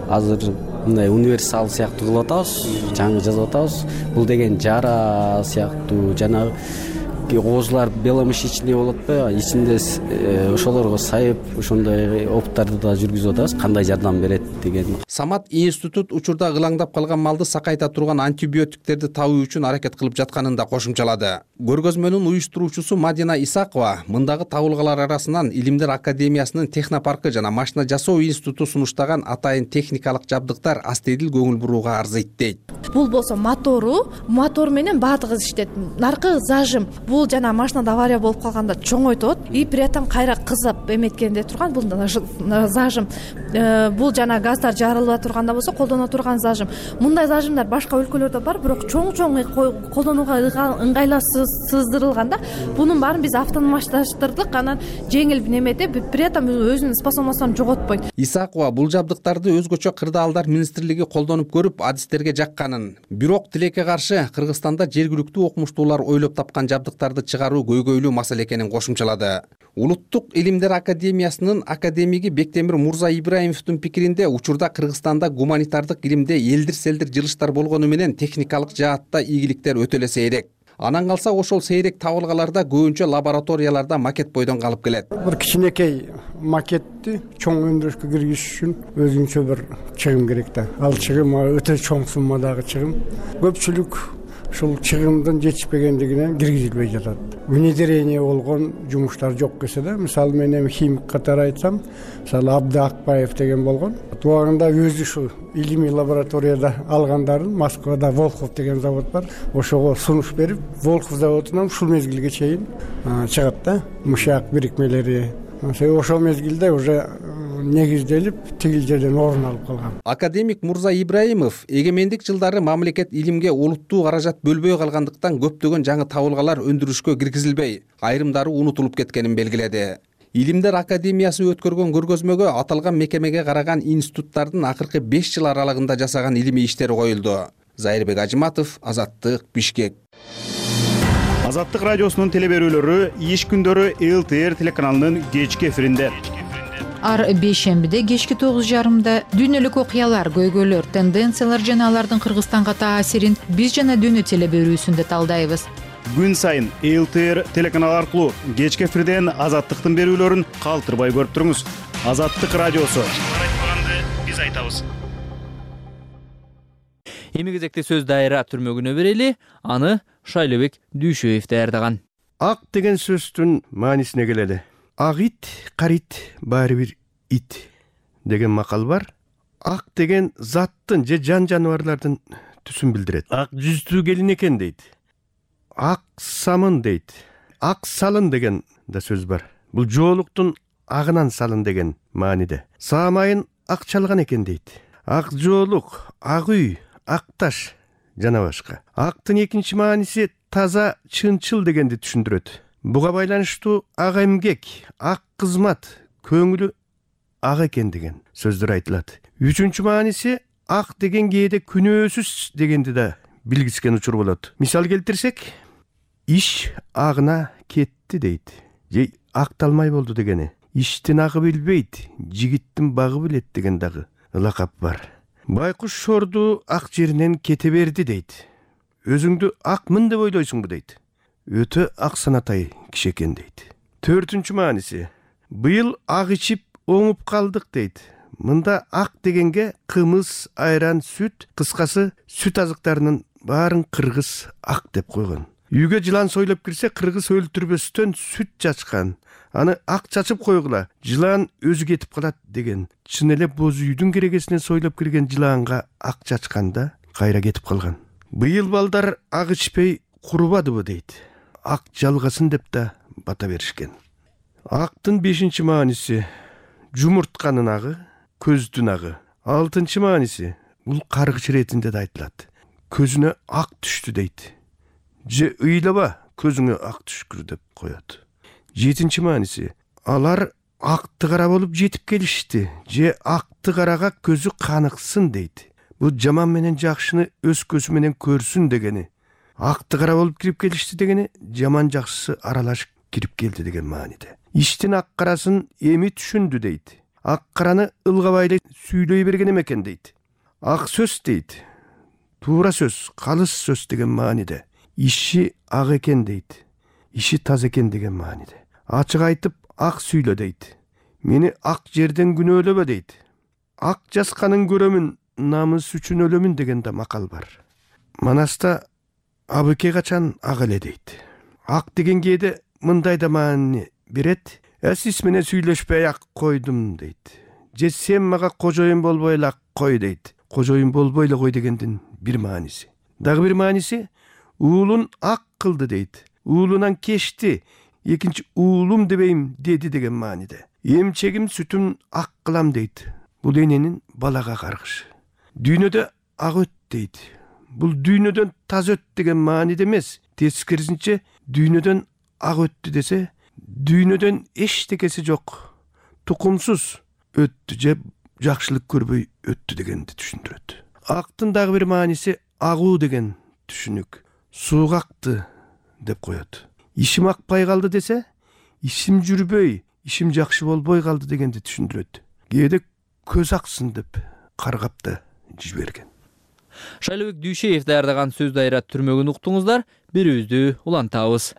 азыр мындай универсал сыяктуу кылып атабыз, жаңы жазып атабыз. Бул деген жара сыяктуу жана оозулар беломышечный болот да, ичинде ошолорго сайып, ошондой опыттарды да жүргүзүп атабыз, кандай жардам берет деген.
Самат институт учурда ылаңдап калган малды сакайта турган антибиотиктерди табуу үчүн аракет кылып жатканын да кошумчалады. Көргөзмөнүн уюштуруучусу Мадина Исакова мындагы табылгалар арасынан Илимдер академиясынын технопаркы жана машина жасоо институту сунуштаган атайын техникалык жабдыктар астедил көңүл бурууга арзыйт дейт.
Бул болсо мотор менен баардыгы иштейт. Наркы зажим. Бул жана машинада авария болуп калганда чоңойтот и при этом кайра кызып эметкенде турган бул зажим. Бул жана газдар жарыла турганда болсо колдоно турган зажим. Мындай зажимдар башка өлкөлөрдө бар, бирок чоң колдонууга ыңгайласыздырылган да. Бунун баарын биз автоматташтырдык, анан жеңил неметип, при этом өзүнүн способностун жоготпойт.
Исакова бул жабдыктарды өзгөчө кырдаалдар министрлиги колдонуп көрүп, адистерге жакканын, бирок тилекке каршы Кыргызстанда жергиликтүү окумуштуулар ойлоп тапкан жабдыктарды чыгаруу көйгөйлүү маселе экенин кошумчалады. Улуттук Илимдер академиясынын академиги Бектемир Мурза Ибраимовдун пикиринде учурда Кыргызстанда гуманитардык илимде элдир-селдир жылыштар болгону менен техникалык жаатта ийгиликтер өтө эле сейрек. Анан калса ошол сейрек табылгаларда көбүнчө лабораторияларда макет бойдон калып келет.
Бир кичинекей макетти чоң өндүрүшкө киргизиш үчүн өзүнчө бир чыгым керек да. Ал чыгым өтө чоң суммадагы чыгым. Көпчүлүк ушул чыгымдын жетишпегендигинен киргизилбей жатат. Внедрение болгон жумуштар жок кесе да. Мисалы мен эми химик катары айтсам, мисалы Абды Акбаев деген болгон. Туагында өзү ушу илимий лабораторияда алгандарын Москвада Волхов деген завод бар. Ошого сунуш берип, Волхов заводунан ушул мезгилге чейин чыгат да. Мышак бирикмелери. Ошол мезгилде уже негизделип тигил жерден орун алып калган.
Академик Мурза Ибраимов эгемендик жылдары мамлекет илимге олуттуу каражат бөлбөй калгандыктан көптөгөн жаңы табылгалар өндүрүшкө киргизилбей, айрымдары унутулуп кеткенин белгиледи. Илимдер академиясы өткөргөн көргөзмөгө аталган мекемеге караган институттардын акыркы 5 жыл аралыгында жасаган илимий иштери коюлду. Зайырбек Ажыматов, Азаттык, Бишкек.
Азаттык радиосунун теле берүүлөрү иш күндөрү ЛТР телеканалынын кечки эфиринде.
Ар бейшембиде кечки 9:30 дүйнөлүк окуялар, көйгөйлөр, тенденциялар жана алардын Кыргызстанга таасирин биз жана дүйнө теле берүүсүндө талдайбыз.
Күн сайын ЛТР телеканалы аркылуу кечки эфирден Азаттыктын берүүлөрүн калтырбай көрүп туруңуз. Азаттык радиосу. Биз айтабыз.
Эми кезекте сөз дайра түрмөгүнө берели, аны Шайлыбек Дүйшөев даярдаган.
Ак деген сөздүн маанисине келели. Ак ит, карит, баары бир ит деген макал бар. Ак деген заттын же жан жаныбарлардын түсүн билдирет. Ак жүздүү келин экен дейт. Ак самын дейт. Ак салын деген да сөз бар. Бул жоолуктун агынан салын деген мааниде. Саамайын ак чалган экен дейт. Ак жоолук, ак үй, ак таш жана башка. Актын экинчи мааниси таза, чынчыл дегенди түшүндүрөт. Буга байланыштуу ак эмгек, ак кызмат, көңүлү ак экен деген сөздөр айтылат. Үчүнчү мааниси ак деген кээде күнөөсүз дегенди да билгискен учур болот. Мисал келтирсек, иш агына кетти дейт. Же акталмай болду дегени. Иштин агы билбейт, жигиттин багы билет деген дагы лакап бар. Байкуш шорду ак жеринен кете берди дейт. Өзүңдү акмын деп ойлойсуңбу дейт. Өтө ак санатай киши экен дейт. Төртүнчү мааниси, быйыл ак ичип оңуп калдык дейт. Мында ак дегенге кымыз, айран, сүт, кыскасы сүт азыктарынын баарын кыргыз ак деп койгон. Үйгө жылан сойлоп кирсе, кыргыз өлтүрбөстөн сүт чачкан. Аны ак чачып койгула, жылан өзү кетип калат деген. Чын эле боз үйдүн керегесинен сойлоп кирген жыланга ак чачканда кайра кетип калган. Быйыл балдар ак ичпей курубадыбы дейт. Ак жалгасын деп да бата беришкен. Актын 5-чи мааниси жумуртканын агы, көздүн агы. 6-чы мааниси бул каргыч иретинде да айтылат. Көзүнө ак түштү дейт. Же ыйлаба, көзүңө ак түшкүр деп коет. 7-чи мааниси алар акты кара болуп жетип келишти. Же акты карага көзү каныксын дейт. Бул жаман менен жакшыны өз көзү менен көрсүн дегени. Акты кара болуп кирип келишти дегени, жаман жакшысы аралашып кирип келди деген мааниде. Иштин ак карасын эми түшүндү дейт. Ак караны ылгабай эле сүйлөй берген экен дейт. Ак сөз дейт. Туура сөз, калыс сөз деген мааниде. Иши ак экен дейт. Иши таза экен деген мааниде. Ачык айтып ак сүйлө дейт. Мени ак жерден күнөөлөбө дейт. Ак жасканын көрөмүн, намыс үчүн өлөмүн деген да макал бар. Манаста абыке качан ак эле дейт. Ак деген кээде мындай да маани берет. Сиз менен сүйлөшпөй ак койдум дейт. Же сен мага кожоюн болбой эле ак кой дейт. Кожоюн болбой эле кой дегендин бир мааниси. Дагы бир мааниси уулун ак кылды дейт. Уулунан кечти, экинчи уулум дебейм деди деген мааниде. Эмчегим сүтүн ак кылам дейт. Бул эненин балага каргышы. Дүйнөдө ак өт дейт. Бул дүйнөдөн таза өт деген мааниде эмес. Тескерисинче дүйнөдөн ак өттү десе, дүйнөдөн эчтекеси жок, тукумсуз өттү же жакшылык көрбөй өттү дегенди түшүндүрөт. Актын дагы бир мааниси агуу деген түшүнүк. Сууга акты деп коет. Ишим акпай калды десе, ишим жүрбөй, ишим жакшы болбой калды дегенди түшүндүрөт. Кээде көз аксын деп каргап да жиберген.
Шайлыбек Дүйшөев даярдаган сөз дайра түрмөгүн уктуңуздар, берүүбүздү улантабыз.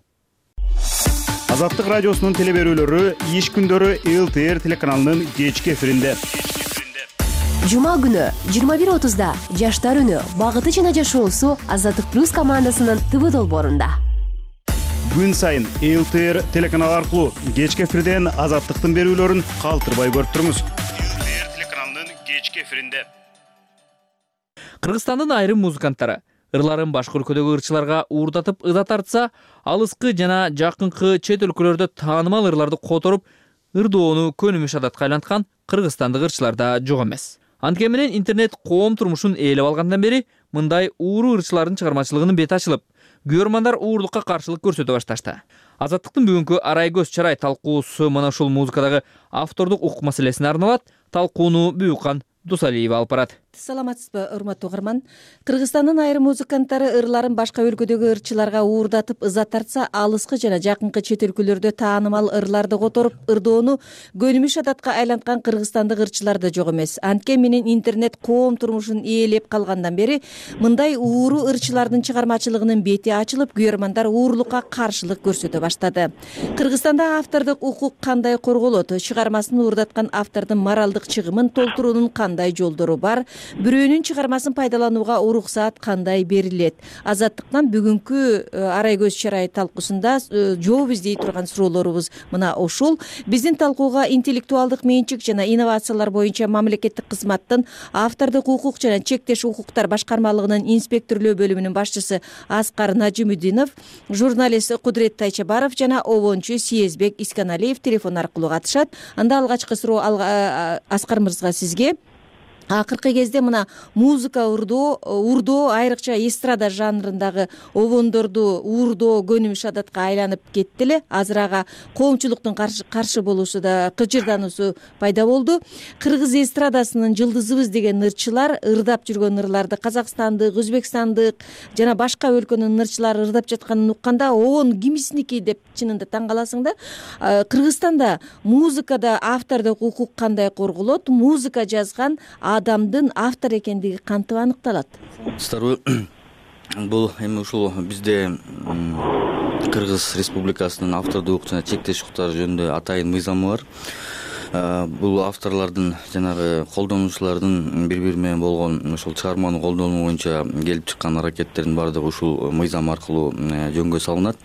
Азаттык радиосунун теле берүүлөрү иш күндөрү ЛТР телеканалынын кечки эфиринде.
Жума күнү 21:30 Жаштар үнү багыты жана жашоосу Азаттык плюс командасынын ТВ долбоорунда.
Күн сайын ЛТР телеканалы аркылуу кечки эфирден Азаттыктын берүүлөрүн калтырбай көрүп туруңуз. ЛТР телеканалынын кечки эфиринде.
Кыргызстандын айрым музыканттары ырларын башка өлкөдөгү ырчыларга уурдатып ыда тартса, алыскы жана жакынкы чет өлкөлөрдө таанымал ырларды которуп, ырдоону көнүмүш адатка айланткан кыргызстандык ырчылар да жок эмес. Анткени менен интернет коом турмушун ээлеп алгандан бери мындай ууру ырчылардын чыгармачылыгынын бети ачылып, көрөрмандар уурдукка каршылык көрсөтө башташты. Азаттыктын бүгүнкү арай көз чарай талкуусу мына ушул музыкадагы автордук укук маселесине арналат. Талкууну Бүкан Дусалиева алып барат.
саламатсызбы урматтуу угарман? Кыргызстандын айрым музыканттары ырларын башка өлкөдөгү ырчыларга уурдатып ыза тартса, алыскы жана жакынкы чет өлкөлөрдө таанымал ырларды которуп, ырдоону көнүмүш адатка айланткан кыргызстандык ырчылар да жок эмес. Анткен менен интернет коом турмушун ээлеп калгандан бери мындай ууру ырчылардын чыгармачылыгынын бети ачылып, күйөрмандар уурулукка каршылык көрсөтө баштады. Кыргызстанда автордук укук кандай корголот? Чыгармасын уурдаткан автордун моралдык чыгымын толтуруунун кандай жолдору бар? Бирөөнүн чыгармасын пайдаланууга уруксаат кандай берилет? Азаттыктан бүгүнкү арай көз чарай талкуусунда жооп издей турган суроолорубуз мына ушул. Биздин талкууга интеллектуалдык менчик жана инновациялар боюнча мамлекеттик кызматтын автордук укук жана чектеш укуктар башкармалыгынын инспекторлоо бөлүмүнүн башчысы Аскар Нажимудинов, журналист Кудрет Тайчабаров жана обончу Съездбек Исканалиев телефон аркылуу катышат. Анда алгачкы суроо Аскар мырзага сизге. Акыркы кезде мына музыка уурдоо айрыкча эстрада жанрындагы обондорду уурдоо көнүмүш адатка айланып кетти эле. Азыр ага коомчулуктун каршы болушу да, кыжырдануусу пайда болду. Кыргыз эстрадасынын жылдызыбыз деген ырчылар ырдап жүргөн ырларды казакстандык, өзбекстандык жана башка өлкөнүн ырчылары ырдап жатканын укканда обон кимисники деп чынында таң каласың да. Кыргызстанда музыкада автордук укук кандай корголот? Музыка жазган адамдын автор экендиги кантип аныкталат?
Старбы, бул эми ушул бизде Кыргыз Республикасынын автордук укук жана чектеш укуктары жөнүндө атайын мыйзамы бар. Бул авторлордун жанагы колдонуучулардын бири-бири менен болгон ушул чыгарманы колдонуу боюнча келип чыккан аракеттердин баардыгы ушул мыйзам аркылуу жөнгө салынат.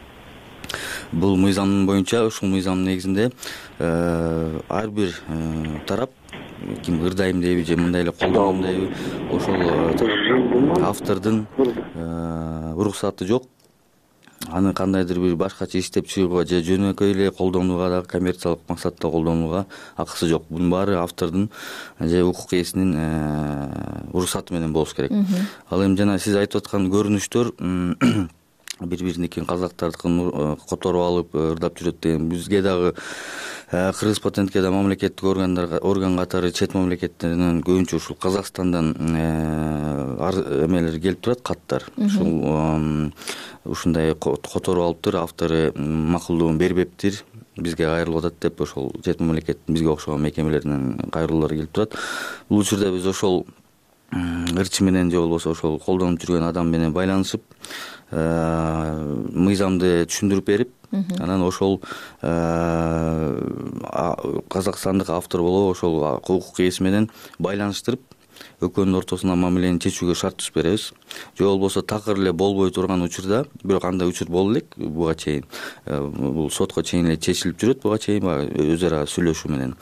Бул мыйзам боюнча, ушул мыйзамдын негизинде ар бир тарап ким ырдайм дейби же мындай эле колдоном дейби, ошол автордун уруксаты жок. Аны кандайдыр бир башкача иштеп чыгууга же жөнөкөй эле колдонууга дагы, коммерциялык максатта колдонууга акысы жок. Бунун баары автордун же укук ээсинин уруксаты менен болуш керек. Ал эми жана сиз айтып аткан көрүнүштөр бири-бириники казактардыкын которуп алып ырдап жүрөт деген бизге дагы Кыргыз патентке да мамлекеттик орган катары чет мамлекеттеринен көбүнчө ушул Казакстандан эмелер келип турат, каттар. Ушундай которуп алыптыр, автору макулдугун бербептир, бизге кайрылып атат деп ошол чет мамлекеттин бизге окшогон мекемелеринен кайрылуулар келип турат. Бул учурда биз ошол ырчы менен же болбосо ошол колдонуп жүргөн адам менен байланышып мыйзамды түшүндүрүп берип, анан ошол казакстандык автор болобу ошол укук ээси менен байланыштырып, экөөнүн ортосуна мамилени чечүүгө шарт түзүп беребиз. Же болбосо такыр эле болбой турган учурда, бирок андай учур болду элек буга чейин. Бул сотко чейин эле чечилип жүрөт буга чейин өз ара сүйлөшүү менен.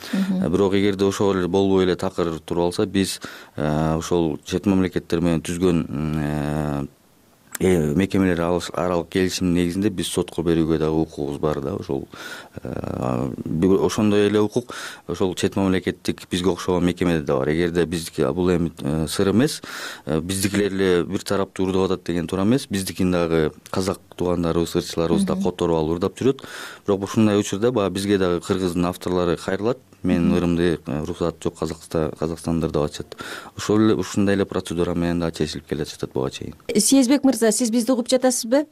Бирок эгерде ошол эле болбой эле такыр туруп алса, биз ошол чет мамлекеттер менен түзгөн мекемелер аралык келишимдин негизинде биз сотко берүүгө дагы укугубуз бар да. Ошондой эле укук ошол чет мамлекеттик бизге окшогон мекемеде да бар. Эгерде биздики бул эми сыр эмес, биздикилер эле бир тараптуу ырдап атат деген туура эмес, биздикин дагы казак туугандарыбыз, ырчыларыбыз да которуп алып ырдап жүрөт. Бирок ушундай учурда баягы бизге дагы кыргыздын авторлору кайрылат. Менин ырымды уруксат жок, Казакстанда ырдап атышат. Ушундай эле процедура менен дагы чечилип келе жатат буга чейин.
Съездбек мырза, сиз бизди угуп жатасызбы?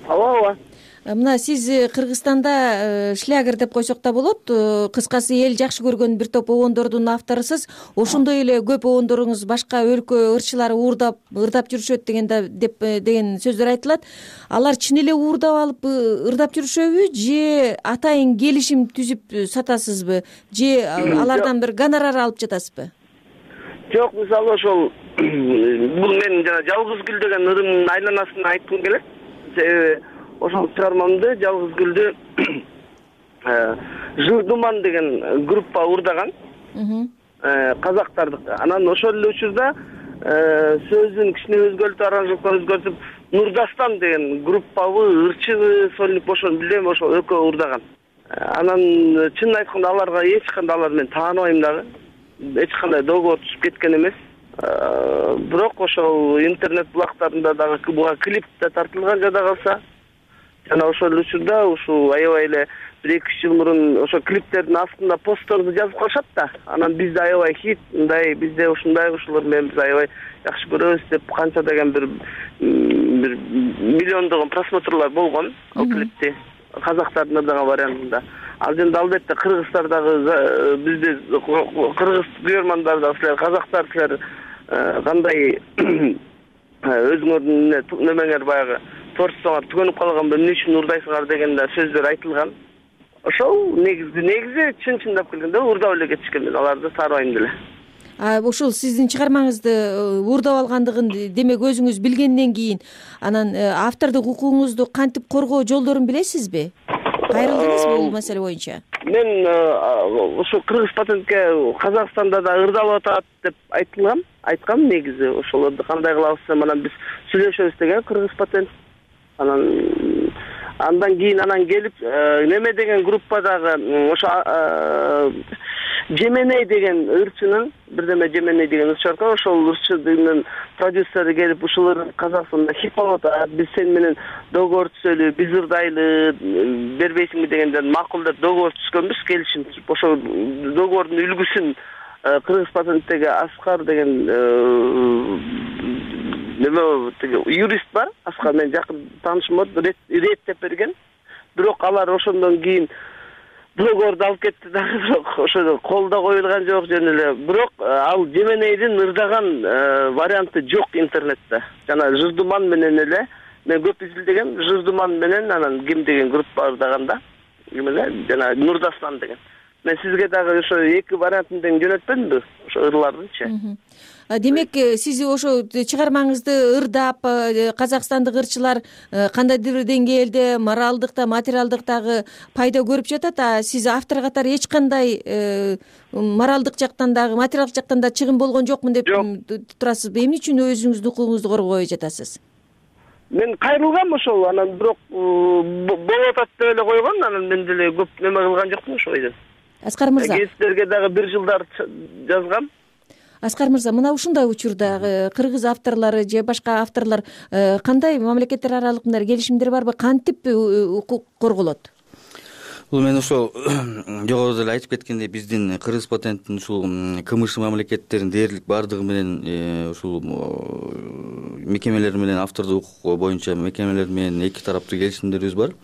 Ооба.
Мына сиз Кыргызстанда шлягер деп койсок да болот. Кыскасы эл жакшы көргөн бир топ обондордун авторусуз. Ошондой эле көп обондоруңуз башка өлкө ырчылары ырдап жүрүшөт деген сөздөр айтылат. Алар чын эле уурдап алып ырдап жүрүшөбү же атайын келишим түзүп сатасызбы же алардан бир гонорар алып жатасызбы?
Жок, мисалы ошол бул мен жана Жалгыз гүл деген ырымдын айланасына айткым келет. Себеби ошол чыгармамды Жалгыз гүлдү Жырдуман деген группа уурдаган. Казактардык. Анан ошол эле учурда сөзүн кичине өзгөртүп, аранжировканы өзгөртүп, Нурдастан деген группабы, ырчыбы, сольник ошону билем, ошол экөө уурдаган. Анан чынын айтканда аларга эч кандай алар мен тааныбайм дагы. Эч кандай договор түзүп кеткен эмес. Бирок ошол интернет булактарында дагы буга клип да тартылган, жада калса жана ошол учурда ушул аябай эле 1-2 жыл мурун ошо клиптердин астында постторду жазып калышат да. Анан бизде аябай хит, мындай бизде ушундай ушулар менен биз аябай жакшы көрөбүз деп канча деген бир миллиондогон просмотрлар болгон ал клипти казактардын ырдаган вариантында. Ал жерде албетте кыргыздардагы бизде кыргыз күйөрмандар да силер казактар силер кандай өзүңөрдүн немеңер баягы творчествоңор түгөнүп калганбы, эмне үчүн урдайсыңар деген да сөздөр айтылган. Ошол негизи чын-чындап келгенде урдап эле кетишкен, мен аларды таарбайм деле.
Ушул сиздин чыгармаңызды урдап алгандыгын демек өзүңүз билгенден кийин анан автордук укугуңузду кантип коргоо жолдорун билесизби? Кайрылдыңызбы бул маселе боюнча?
Мен ошо кыргыз патентке Казакстанда да ырдалып атат деп айткам негизи. Ошолорду кандай кылабыз деп анан биз сүйлөшөбүз деген кыргыз патент. Андан кийин келип неме деген группадагы ошо Жеменей деген ырчынын бирдеме Жеменей деген ырчы бар экен, ошол ырчынын продюсери келип ушулар Казакстанда хит болуп атат, биз сен менен договор түзөлү, биз ырдайлы, бербейсиңби дегенден макул деп договор түзгөнбүз, келишим. Ошол договордун үлгүсүн кыргыз патенттеги Аскар деген неме юрист бар, Аскар менен жакын таанышым бар, реттеп берген. Бирок алар ошондон кийин договорду алып кетти дагы, бирок ошо колдо коюлган жок жөн эле. Бирок ал Жеменейдин ырдаган варианты жок интернетте. Жана Жырдуман менен эле мен көп изилдегем, Жырдуман менен анан ким деген группа ырдаганда, ким эле жана Нурдастан деген. Мен сизге дагы ошо эки вариантын тең жөнөтпөдүмбү, ошо ырлардынчы.
Демек сиз ошо чыгармаңызды ырдап казакстандык ырчылар кандайдыр деңгээлде моралдык да материалдык дагы пайда көрүп жатат, а сиз автор катары эч кандай моралдык жактан дагы материалдык жактан да чыгым болгон жокмун деп турасызбы? Эмне үчүн өзүңүздүн укугуңузду коргобой жатасыз?
Мен кайрылгам ошол, анан бирок болуп атат деп эле койгон, анан мен деле көп неме кылган жокмун ошол бойдон.
Аскар мырза,
гезиттерге дагы 1 жылдар жазгам.
Аскар мырза, мына ушундай учурда кыргыз авторлору же башка авторлор кандай мамлекеттер аралык мындай келишимдер барбы, кантип укук корголот?
Бул мен ошол жогоруда эле айтып кеткендей, биздин кыргыз патенттин ушул КМШ мамлекеттеринин дээрлик бардыгы менен ушул мекемелер менен автордук укук боюнча мекемелер менен эки тараптуу келишимдерибиз бар.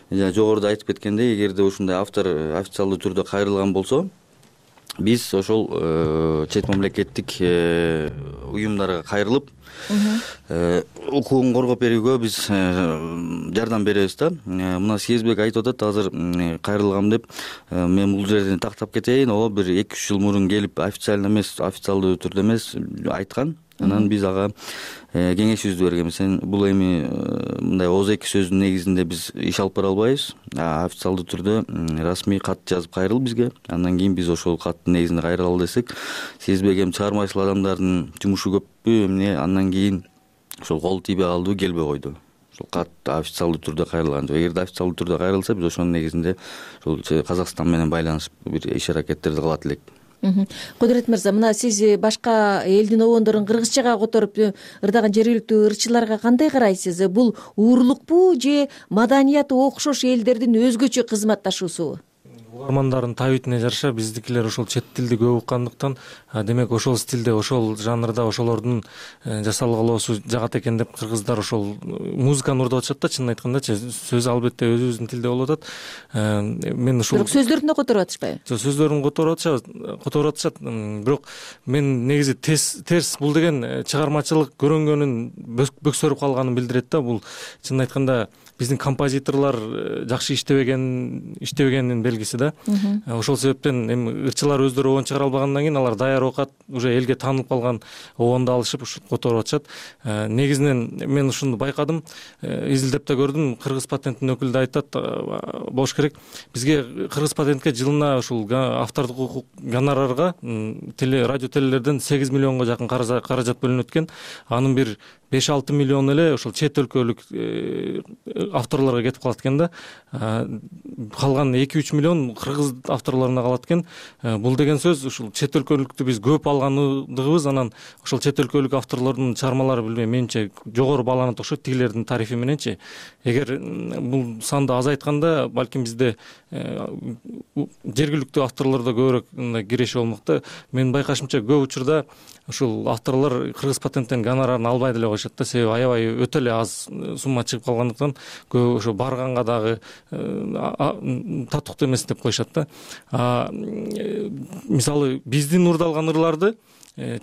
Жогоруда айтып кеткендей, эгерде ушундай автор официалдуу түрдө кайрылган болсо, биз ошол чет мамлекеттик уюмдарга кайрылып укугун коргоп берүүгө биз жардам беребиз да. Мына Сезбек айтып атат, азыр кайрылгам деп. Мен бул жерден тактап кетейин, ооба бир 2-3 жыл мурун келип официально эмес, официалдуу түрдө эмес айткан. Анан биз ага кеңешибизди бергенбиз. Сен бул эми мындай ооз эки сөздүн негизинде биз иш алып бара албайбыз. Официалдуу түрдө расмий кат жазып кайрыл бизге. Андан кийин биз ошол каттын негизинде кайрыла ал десек, Сезбек эми чыгармачыл адамдардын жумушу көппү, эмне андан кийин ошол кол тийбей калдыбы, келбей койду. Ошол кат официалдуу түрдө кайрылган. Эгерде официалдуу түрдө кайрылса, биз ошонун негизинде ошол Казакстан менен байланышып бир иш-аракеттерди кылат элек.
Кудурет мырза, мына сиз башка элдин обондорун кыргызчага которуп ырдаган жергиликтүү ырчыларга кандай карайсыз? Бул уурлукпу же маданияты окшош элдердин өзгөчө кызматташуусубу?
Угармандардын табитине жараша биздикилер ошол чет тилди көп уккандыктан, демек ошол стилде, ошол жанрда ошолордун жасалгалоосу жагат экен деп кыргыздар ошол музыканы урдап атышат да, чынын айткандачы. Сөз албетте өзүбүздүн тилде болуп атат. Мен ушул
бирок сөздөрүн да которуп атышпайбы?
Сөздөрүн которуп атышат, бирок мен негизи терс бул деген чыгармачылык көрөнгөнүн бөксөрүп калганын билдирет да. Бул чынын айтканда биздин композиторлор жакшы иштебегенин белгиси да. Ошол себептен эми ырчылар өздөрү обон чыгара албагандан кийин алар даяр окат, уже элге таанылып калган обонду алышып ушинтип которуп атышат. Негизинен мен ушуну байкадым, изилдеп да көрдүм. Кыргыз патенттин өкүлү да айтат, болуш керек. Бизге кыргыз патентке жылына ушул автордук укук гонорарга радио телелерден 8 миллионго жакын каражат бөлүнөт экен. Анын бир 5-6 миллион эле ошол чет өлкөлүк авторлорго кетип калат экен да.
калган 2-3 миллион кыргыз авторлоруна калат экен. Бул деген сөз ушул чет өлкөлүктү биз көп алгандыгыбыз, анан ошол чет өлкөлүк авторлордун чыгармалары билбейм, менимче жогору бааланат окшойт тигилердин тарифи мененчи. Эгер бул санды азайтканда балким бизде жергиликтүү авторлордо көбүрөөк мындай киреши болмок да. Менин байкашымча көп учурда ушул авторлор кыргыз патенттен гонорарын албай деле коюшат да, себеби аябай өтө эле аз сумма чыгып калгандыктан көп ошо барганга дагы татыктуу эмес деп коюшат да. Мисалы биздин урдалган ырларды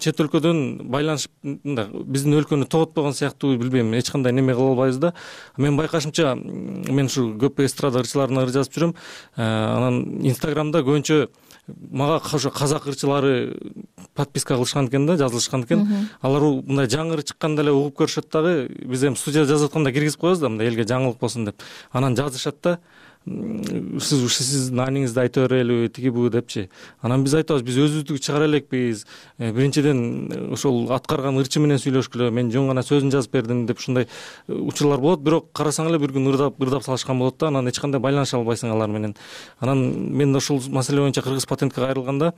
чет өлкөдөн байланышып биздин өлкөнү тоготпогон сыяктуу, билбейм, эч кандай неме кыла албайбыз да. Менин байкашымча мен ушу көп эстрада ырчыларына ыр жазып жүрөм. Анан Инстаграмда көбүнчө мага ошо казак ырчылары подписка кылышкан экен да, жазылышкан экен. Алар мындай жаңы ыр чыкканда эле угуп көрүшөт дагы. Биз эми студияда жазып атканда киргизип коебуз да, мындай элге жаңылык болсун деп. Анан жазышат да. Сиз нааниңизди айта берелиби, тиги бу депчи. Анан биз айтабыз, биз өзүбүздү чыгара элекпиз. Биринчиден ошол аткарган ырчы менен сүйлөшкүлө, мен жөн гана сөзүн жазып бердим деп ушундай учурлар болот. Бирок карасаң эле бир күн ырдап салышкан болот да, анан эч кандай байланыша албайсың алар менен. Анан мен ошол маселе боюнча Кыргыз патентке кайрылганда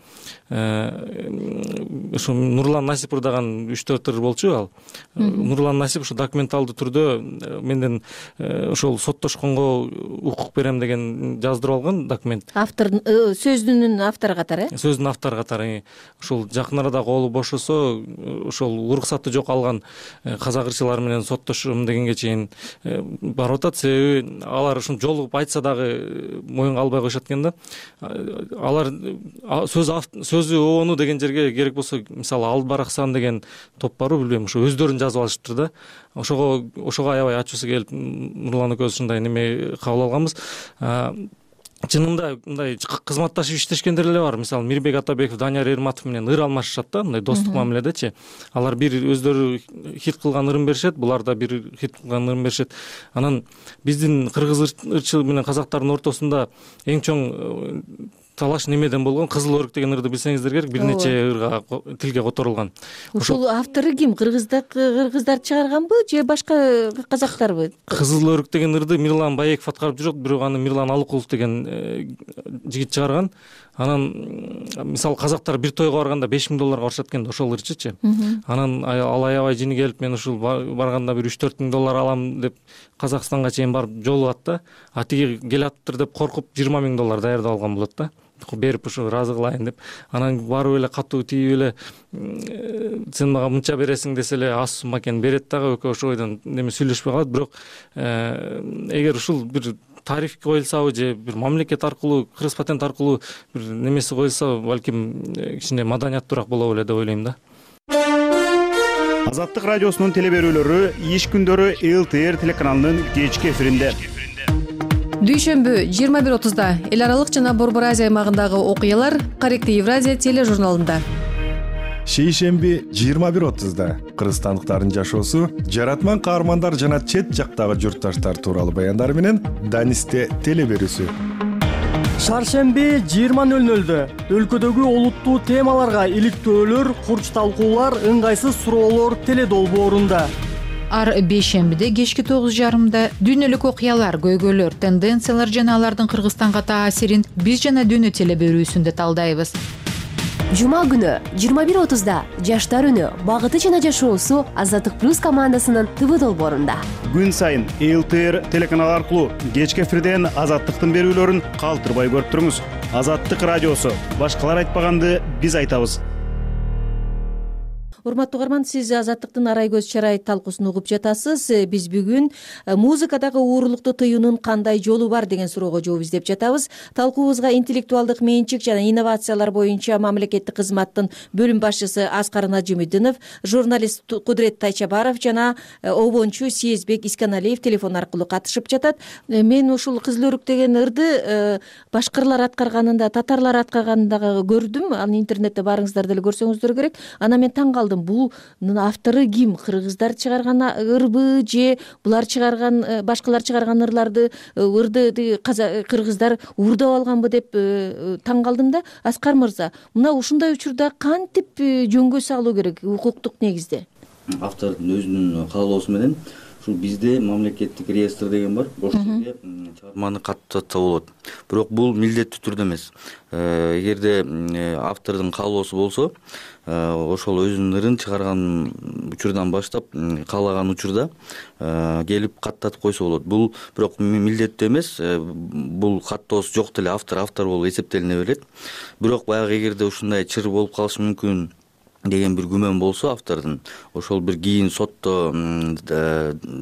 ушу Нурлан Насип ырдаган 3-4 ыр болчу ал. Нурлан Насип ушу документалдуу түрдө менден ошол соттошконго укук берем деген жаздырып алган документ. Автор
сөзүнүн автору катары,
сөзүнүн автору катары. Ошол жакын арада колу бошосо, ошол уруксаты жок алган казак ырчылары менен соттошом дегенге чейин барып атат. Себеби алар ушун жолугуп айтса дагы моюнга албай коюшат экен да. Алар сөзү обону деген жерге керек болсо, мисалы Албараксан деген топ барбы, билбейм, ошо өздөрүн жазып алышыптыр да. Ошого аябай ачуусу келип Нурлан экөөбүз ушундай неме кабыл алганбыз. Чынында мындай кызматташып иштешкендер эле бар. Мисалы Мирбек Атабеков, Данияр Эрматов менен ыр алмашышат да, мындай достук мамиледечи. Алар бир өздөрү хит кылган ырын беришет, булар да бир хит кылган ырын беришет. Анан биздин кыргыз ырчы менен казактардын ортосунда эң чоң талаш немеден болгон? Кызыл өрүк деген ырды билсеңиздер керек, бир нече ырга тилге которулган.
Ушул автору ким? Кыргыздар чыгарганбы же башка казактарбы?
Кызыл өрүк деген ырды Мирлан Баеков аткарып жүрөт, бирок аны Мирлан Алыкулов деген жигит чыгарган. Анан мисалы казактар бир тойго барганда $5000 барышат экен, ошол ырчычы. Анан ал аябай жини келип, мен ушул барганда бир $3-4 миң алам деп Казакстанга чейин барып жолугат да. А тиги келаптыр деп коркуп $20 миң даярдап алган болот да. Берип ушу ыраазы кылайын деп. Анан барып эле катуу тийип эле сен мага мынча бересиң десе эле аз сумма экенин берет дагы, экөө ошол бойдон неме сүйлөшпөй калат. Бирок эгер ушул бир тариф коюлсабы же бир мамлекет аркылуу, Кыргыз патент аркылуу бир немеси коюлса, балким кичине маданияттуураак болобу эле деп ойлойм да.
Азаттык радиосунун телеберүүлөрү иш күндөрү ЛТР телеканалынын кечки эфиринде.
Дүйшөмбү 21:30 эл аралык жана Борбор Азия аймагындагы окуялар Корректив Евразия тележурналында.
Шейшемби 21:30 кыргызстандыктардын жашоосу, жаратман каармандар жана чет жактагы журтташтар тууралуу баяндар менен Данисте телеберүүсү.
Шаршемби 20:00 өлкөдөгү олуттуу темаларга иликтөөлөр, курч талкуулар, ыңгайсыз суроолор теледолбоорунда.
Ар бейшембиде кечки 9:30 дүйнөлүк окуялар, көйгөйлөр, тенденциялар жана алардын Кыргызстанга таасирин биз жана дүйнө телеберүүсүндө талдайбыз.
Жума күнү 21:30 Жаштар үнү, багыты жана жашоосу Азаттык плюс командасынын ТВ долбоорунда.
Күн сайын ЛТР телеканалы аркылуу кечки эфирден Азаттыктын берүүлөрүн калтырбай көрүп туруңуз. Азаттык радиосу, башкалар айтпаганды биз айтабыз.
Урматтуу угарман, сиз Азаттыктын арай көз чарай талкуусун угуп жатасыз. Биз бүгүн музыкадагы уурулукту тыюунун кандай жолу бар деген суроого жооп издеп жатабыз. Талкуубузга интеллектуалдык менчик жана инновациялар боюнча мамлекеттик кызматтын бөлүм башчысы Аскар Нажимидинов, журналист Кудрет Тайчабаров жана обончу Сезбек Исканалиев телефон аркылуу катышып жатат. Мен ушул Кызыл өрүк деген ырды башкырлар аткарганында, татарлар аткарганында көрдүм. Аны интернетте барыңыздар деле көрсөңүздөр керек. Анан мен таң калдым. Бул автору ким? Кыргыздар чыгарган ырбы же булар чыгарган, башкалар чыгарган ырды кыргыздар уурдап алганбы деп таң калдым да. Аскар мырза, мына ушундай учурда кантип жөнгө салуу керек укуктук негизде?
Автордун өзүнүн каалоосу менен ушул бизде мамлекеттик реестр деген бар. Ошол жерге чыгарманы каттатса болот, бирок бул милдеттүү түрдө эмес. Эгерде автордун каалоосу болсо, ошол өзүнүн ырын чыгарган учурдан баштап каалаган учурда келип каттатып койсо болот. Бул бирок милдеттүү эмес. Бул каттоосу жок деле автор болуп эсептелине берет. Бирок баягы эгерде ушундай чыр болуп калышы мүмкүн деген бир күмөн болсо автордун, ошол бир кийин сотто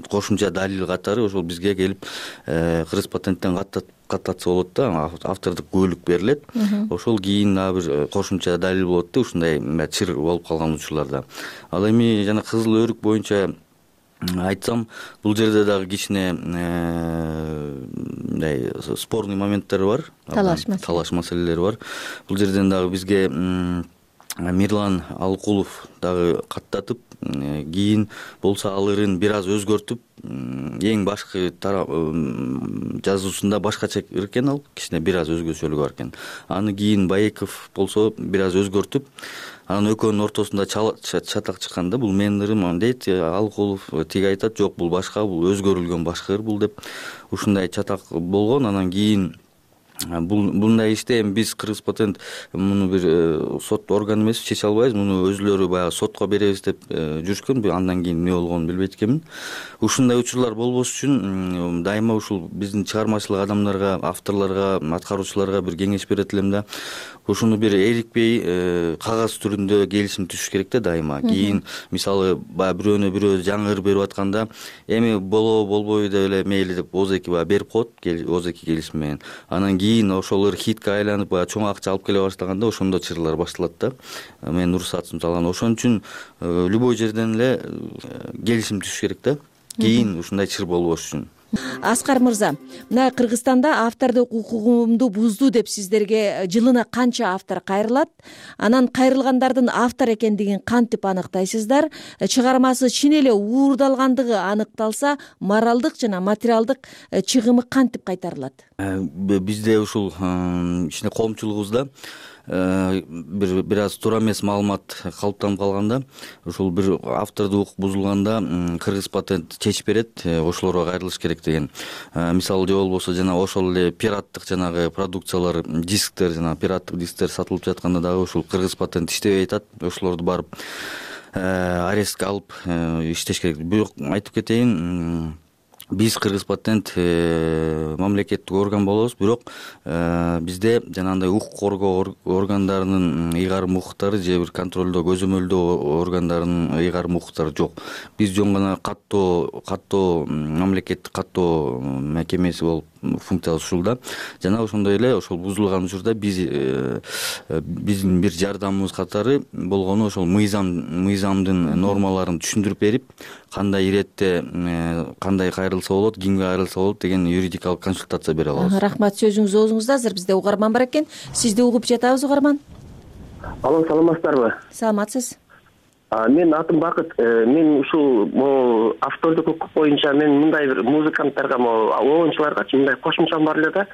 кошумча далил катары ошол бизге келип кыргыз патенттен каттатса болот да, автордук күбөлүк берилет. Ошол кийин дагы бир кошумча далил болот да, ушундай чыр болуп калган учурларда. Ал эми жана кызыл өрүк боюнча айтсам, бул жерде дагы кичине мындай спорный моменттер бар, талаш маселелери бар. Бул жерден дагы бизге Мирлан Алыкулов дагы каттатып, кийин болсо ал ырын бир аз өзгөртүп, эң башкы жазуусунда башкача экен, ал кичине бир аз өзгөчөлүгү бар экен. Аны кийин Баеков болсо бир аз өзгөртүп, анын экөөнүн ортосунда чатак чыккан да, бул менин ырым дейт. Алыкулов тиги айтат, жок, бул башка, бул өзгөрүлгөн башка ыр бул деп, ушундай чатак болгон. Анан кийин Мындай иште эми биз Кыргыз патент муну бир сот органы эмес, чече албайбыз. Муну өзүлөрү баягы сотко беребиз деп жүрүшкөн. Андан кийин эмне болгонун билбейт экенмин. Ушундай учурлар болбош үчүн дайыма ушул биздин чыгармачылык адамдарга, авторлорго, аткаруучуларга бир кеңеш берет элем да. Ушуну бир эрикпей кагаз түрүндө келишим түшүш керек да дайыма. Кийин мисалы баягы бирөөнө бирөө жаңы ыр берип атканда, эми болобу болбойбу деп эле мейли деп озеки баягы берип коет, озеки келишим менен. Анан кийин ошол ыр хитке айланып, баягы чоң акча алып келе баштаганда ошондо чырлар башталат да. Менин уруксатым салган. Ошон үчүн любой жерден эле келишим түшүш керек да. Кийин ушундай чыр болбош үчүн.
Аскар мырза, мына Кыргызстанда автордук укугумду бузду деп сиздерге жылына канча автор кайрылат? Анан кайрылгандардын автор экендигин кантип аныктайсыздар? Чыгармасы чын эле уурдалгандыгы аныкталса, моралдык жана материалдык чыгымы кантип кайтарылат?
Бизде ушул ичинде коомчулугубузда бир аз туура эмес маалымат калыптанып калганда, ушул бир автордук укук бузулганда Кыргыз патент чечип берет, ошолорго кайрылыш керек деген. Мисалы же болбосо жана ошол эле пираттык жанагы продукциялар, дисктер, жана пираттык дисктер сатылып жатканда дагы ушул Кыргыз патент иштебей атат. Ошолорду барып арестке алып иштеш керек. Бирок айтып кетейин, биз Кыргыз патент мамлекеттик орган болобуз, бирок бизде жанагындай укук коргоо органдарынын ыйгарым укуктары же бир контролдоо, көзөмөлдөө органдарынын ыйгарым укуктары жок. Биз жөн гана каттоо мамлекеттик каттоо мекемеси болуп функциябыз ушул да. Жана ошондой эле ошол бузулган учурда биздин бир жардамыбыз катары болгону ошол мыйзамдын нормаларын түшүндүрүп берип, кандай иретте кандай кайрылса болот, кимге кайрылса болот деген юридикалык консультация бере алабыз.
Рахмат, сөзүңүз оозуңузда. Азыр бизде угарман бар экен. Сизди угуп жатабыз, угарман.
Алло, саламатсыздарбы?
Саламатсыз.
Менин атым Бакыт. Мен ушул автордук укук боюнча мен мындай бир музыканттарга, оончуларгачы мындай кошумчам бар эле да.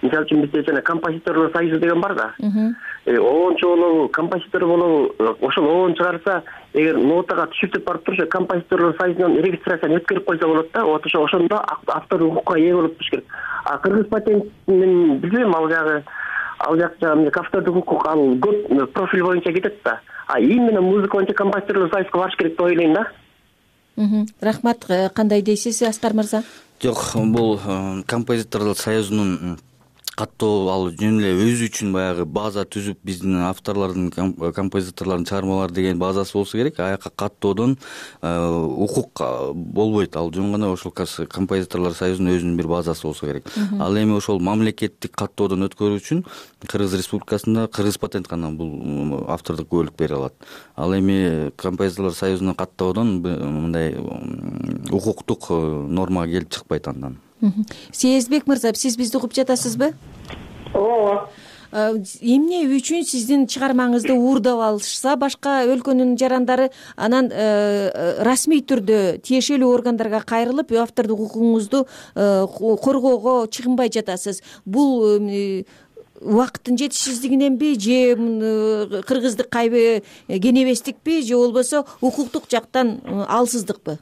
Мисалы үчүн бизде жана композиторлор союзу деген бар да. Оончу болобу, композитор болобу, ошол оон чыгарса, эгер нотага түшүртүп барып турушу композиторлор союзунан регистрацияны өткөрүп койсо болот да. Ошондо автордук укукка ээ болуп туруш керек. Кыргыз патентин билбейм, ал жакта автордук укук ал көп профиль боюнча кетет да. Именно музыка боюнча композиторлор союзуна барыш керек деп ойлойм да.
Рахмат. Кандай дейсиз, Аскар мырза?
Жок, бул композиторлор союзунун каттоо ал жөн эле өзү үчүн баягы база түзүп, биздин авторлордун, композиторлордун чыгармалары деген базасы болсо керек. Аяка каттоодон укук болбойт. Ал жөн гана ошол композиторлор союзунун өзүнүн бир базасы болсо керек. Ал эми ошол мамлекеттик каттоодон өткөрүү үчүн Кыргыз Республикасында Кыргыз патент гана бул автордук күбөлүк бере алат. Ал эми композиторлор союзуна каттоодон мындай укуктук норма келип чыкпайт андан.
Сезбек мырза, сиз бизди угуп жатасызбы?
Ооба.
Эмне үчүн сиздин чыгармаңызды уурдап алышса, башка өлкөнүн жарандары анан расмий түрдө тиешелүү органдарга кайрылып, автордук укугуңузду коргоого чыгынбай жатасыз? Бул убакыттын жетишсиздигиненби, же кыргыздык кайбы кенебестикпи, же болбосо укуктук жактан алсыздыкпы?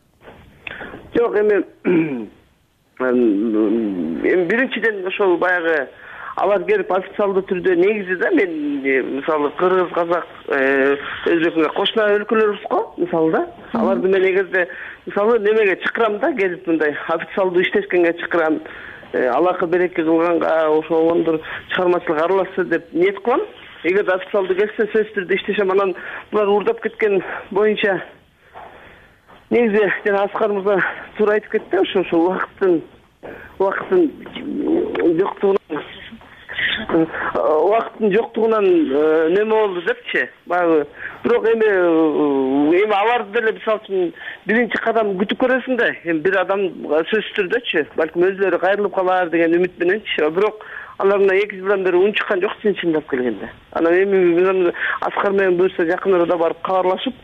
Жок, эми
эми биринчиден ошол баягы алар келип официалдуу түрдө негизи да мен мисалы кыргыз, казак, өзбек кошуна өлкөлөрбүз го мисалы да. Аларды мен эгерде мисалы немеге чакырам да, келип мындай официалдуу иштешкенге чакырам, алакы береке кылганга, ошондор чыгармачылык аралашса деп ниет кылам. Эгерде официалдуу келсе сөзсүз түрдө иштешем, анан булар уурдап кеткен боюнча негизи жана Аскар мырза туура айтып кетти, ошо убакыттын жоктугунан неме болду депчи. Баягы бирок эми аларды деле мисалы үчүн биринчи кадам күтүп көрөсүң да. Эми бир адам сөзсүз түрдөчү, балким өзлөрү кайрылып калар деген үмүт мененчи. Бирок алар мына 2 жылдан бери унчуккан жок чындап келгенде. Анан эми Аскар менен буюрса жакын арада барып кабарлашып,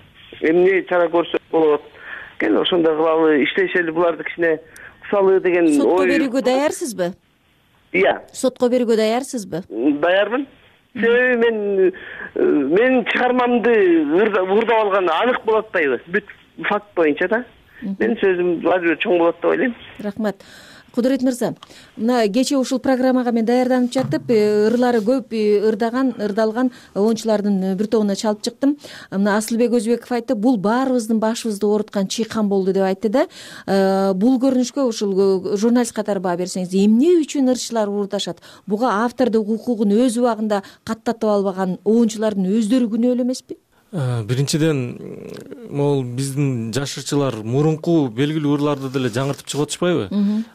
эмне чара көрсөк болот. Кел ошондой кылалы, иштешели, буларды кичине кысалы деген ой.
Сотко берүүгө даярсызбы? Сотко берүүгө даярсызбы?
Даярмын. Себеби мен чыгармамды уурдап алган анык болуп атпайбы? Бүт факт боюнча да. Мен сөзүм ажыр чоң болот деп ойлойм.
Рахмат. Кудурет мырза, мына кечээ ушул программага мен даярданып жатып, ырлары көп ырдалган оончулардын бир тобуна чалып чыктым. Мына Асылбек Өзбеков айтты, бул баарыбыздын башыбызды ооруткан чыйкан болду деп айтты да. Бул көрүнүшкө ушул журналист катары баа берсеңиз, эмне үчүн ырчылар уурдашат? Буга автордук укугун өз убагында каттатып албаган оончулардын өздөрү күнөөлүү эмеспи?
Биринчиден могул биздин жаш ырчылар мурунку белгилүү ырларды деле жаңыртып чыгып атышпайбы?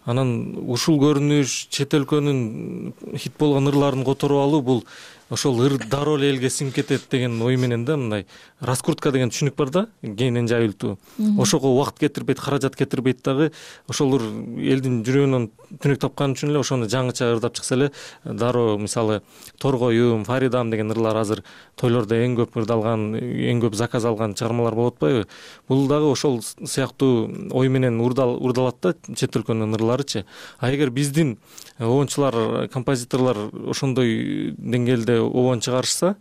Анан ушул көрүнүш чет өлкөнүн хит болгон ырларын которуп алуу бул ошол ыр дароо эле элге сиңип кетет деген ой менен да, мындай раскрутка деген түшүнүк бар да, кеңинен жайылтуу. Ошого убакыт кетирбейт, каражат кетирбейт дагы, ошол ыр элдин жүрөгүнөн түнөк тапкан үчүн эле ошону жаңыча ырдап чыкса эле дароо, мисалы Торгоюм, Фаридам деген ырлар азыр тойлордо эң көп ырдалган, эң көп заказ алган чыгармалар болуп атпайбы? Бул дагы ошол сыяктуу ой менен урдалат да чет өлкөнүн ырларычы. А эгер биздин оончулар, композиторлор ошондой деңгээлде обон чыгарышса,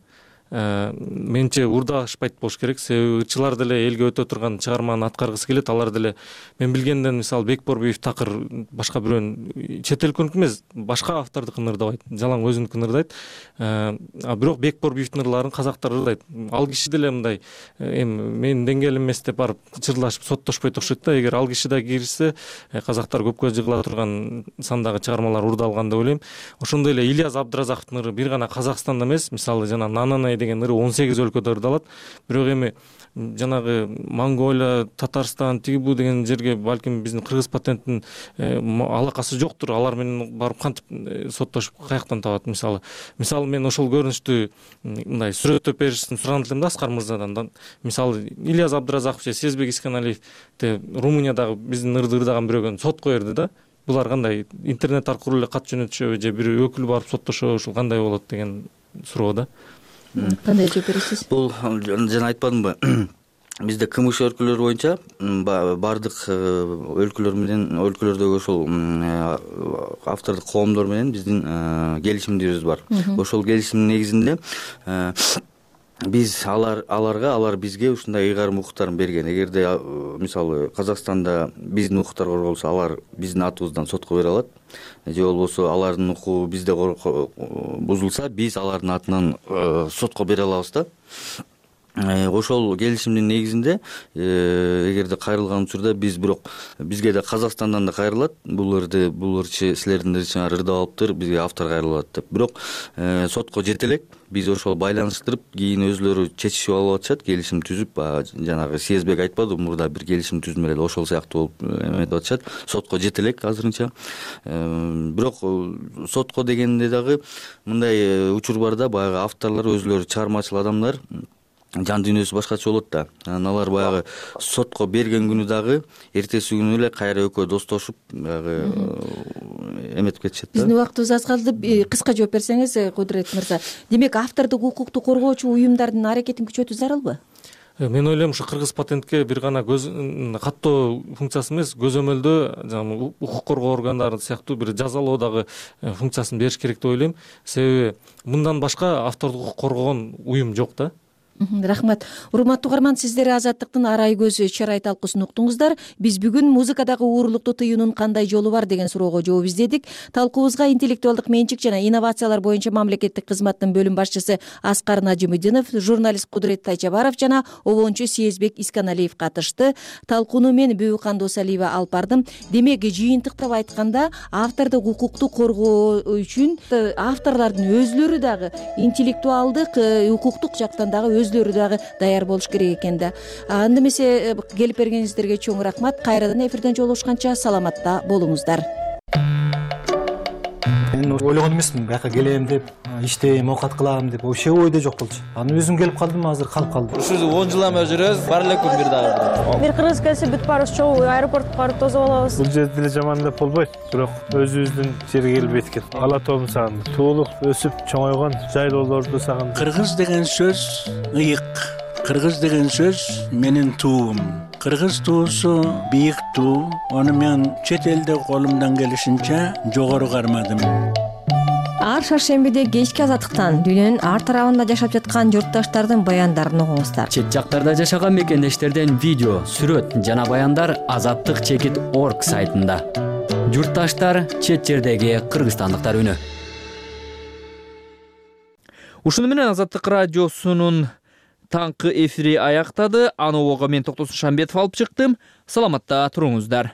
менче урдашпайт болуш керек. Себеби ырчылар деле элге өтө турган чыгарманы аткаргысы келет. Алар деле мен билгенден мисалы Бекборбиев такыр башка бирөөнүн чет өлкөнүкү эмес, башка автордукун ырдабайт, жалаң өзүнүкүн ырдайт. А бирок Бекборбиевдин ырларын казактар ырдайт. Ал киши деле мындай эми менин деңгээлим эмес деп барып чырлашып соттошпойт окшойт да. Эгер ал киши да киришсе, казактар көпкө жыгыла турган сандагы чыгармалар урдалган деп ойлойм. Ошондой эле Ильяз Абдыразаковдун ыры бир гана Казакстанда эмес, мисалы жана Нананай деген ыры 18 өлкөдө ырдалат. Бирок эми жанагы Монголия, Татарстан, тиги бу деген жерге балким биздин кыргыз патенттин алакасы жоктур. Алар менен барып кантип соттошуп каяктан табат мисалы. Мисалы мен ошол көрүнүштү мындай сүрөттөп беришин суранып элем да Аскар мырзадан. Мисалы Ильяз Абдыразаков же Сезбек Исканалиев Румыниядагы биздин ырды ырдаган бирөөгө сотко берди да. Булар кандай интернет аркылуу эле кат жөнөтүшөбү же бир өкүл барып соттошобу, ушул кандай болот деген суроо да.
Кандай жооп бересиз?
Бул жана айтпадымбы? Бизде КМШ өлкөлөр боюнча бардык өлкөлөр менен өлкөлөрдөгү ошол автордук коомдор менен биздин келишимдерибиз бар. Ошол келишимдин негизинде биз алар бизге ушундай ыйгарым укуктарын берген. Эгерде мисалы Казакстанда биздин укуктар корголсо, алар биздин атыбыздан сотко бере алат. Же болбосо алардын укугу бизде бузулса, биз алардын атынан сотко бере алабыз да. Ошол келишимдин негизинде эгерде кайрылган учурда биз бирок бизге да Казакстандан да кайрылат. Бул ырчы силердин ырчыңар ырдап алыптыр, бизге автор кайрылат деп. Бирок сотко жете элек биз ошол байланыштырып, кийин өзлөрү чечишип алып атышат, келишим түзүп, жанагы Сезбек айтпады, мурда бир келишим түзмөлө ошол сыяктуу болуп эметип атышат. Сотко жете элек азырынча. Бирок сотко дегенде дагы мындай учур бар да, баягы авторлор өзлөрү чыгармачыл адамдар, жан дүйнөсү башкача болот да. Алар баягы сотко берген күнү дагы эртеси күнү эле кайра экөө достошуп баягы эметип кетишет да.
Биздин убактыбыз аз калды. Кыска жооп берсеңиз, Кудурет мырза. Демек, автордук укукту коргоочу уюмдардын аракетин күчөтүү зарылбы?
Мен ойлойм, ушу кыргыз патентке бир гана каттоо функциясы эмес, көзөмөлдөө укук коргоо органдары сыяктуу бир жазалоо дагы функциясын бериш керек деп ойлойм. Себеби мындан башка автордук укук коргогон уюм жок да.
Рахмат. Урматтуу угарман, сиздер Азаттыктын арай көзү чарай талкуусун уктуңуздар. Биз бүгүн музыкадагы уурулукту тыюунун кандай жолу бар деген суроого жооп издедик. Талкуубузга интеллектуалдык менчик жана инновациялар боюнча мамлекеттик кызматтын бөлүм башчысы Аскар Нажимидинов, журналист Кудурет Тайчабаров жана обончу Съездбек Исканалиев катышты. Талкууну мен Бүбүкан Досалиева алып бардым. Демек, жыйынтыктап айтканда, автордук укукту коргоо үчүн авторлордун өзлөрү дагы интеллектуалдык, укуктук жактан дагы өзлөрү дагы даяр болуш керек экен да. Анда эмесе келип бергениңиздерге чоң рахмат. Кайрадан эфирден жолугушканча саламатта болуңуздар.
Мен ойлогон эмесмин бияка келем деп, иштейм, оокат кылам деп, вообще ойдо жок болчу. Анан өзүм келип калдым, азыр калып калдым.
Ушул 10 жылдан бери жүрөбүз, бар эле күн бир дагы.
Бир кыргыз келсе бүт баарыбыз чогуу аэропортко барып тосуп алабыз.
Бул жерде деле жаман деп болбойт, бирок өзүбүздүн жерге келип эткен. Ала тообун сагындым. Туулуп, өсүп, чоңойгон жайлоолорду сагындым.
Кыргыз деген сөз ыйык. Кыргыз деген сөз менин туум. Кыргыз туусу бийик туу. Аны мен чет элде колумдан келишинче жогору кармадым.
Ар шаршембиде кечки Азаттыктан дүйнөнүн ар тарабында жашап жаткан журтташтардын баяндарын угуңуздар.
Чет жактарда жашаган мекендештерден видео, сүрөт жана баяндар azattik.org сайтында. Журтташтар, чет жердеги кыргызстандыктар үнү.
Ушуну менен Азаттык радиосунун таңкы эфири аяктады. Аны ого мен Токтосун Шамбетов алып чыктым. Саламатта туруңуздар.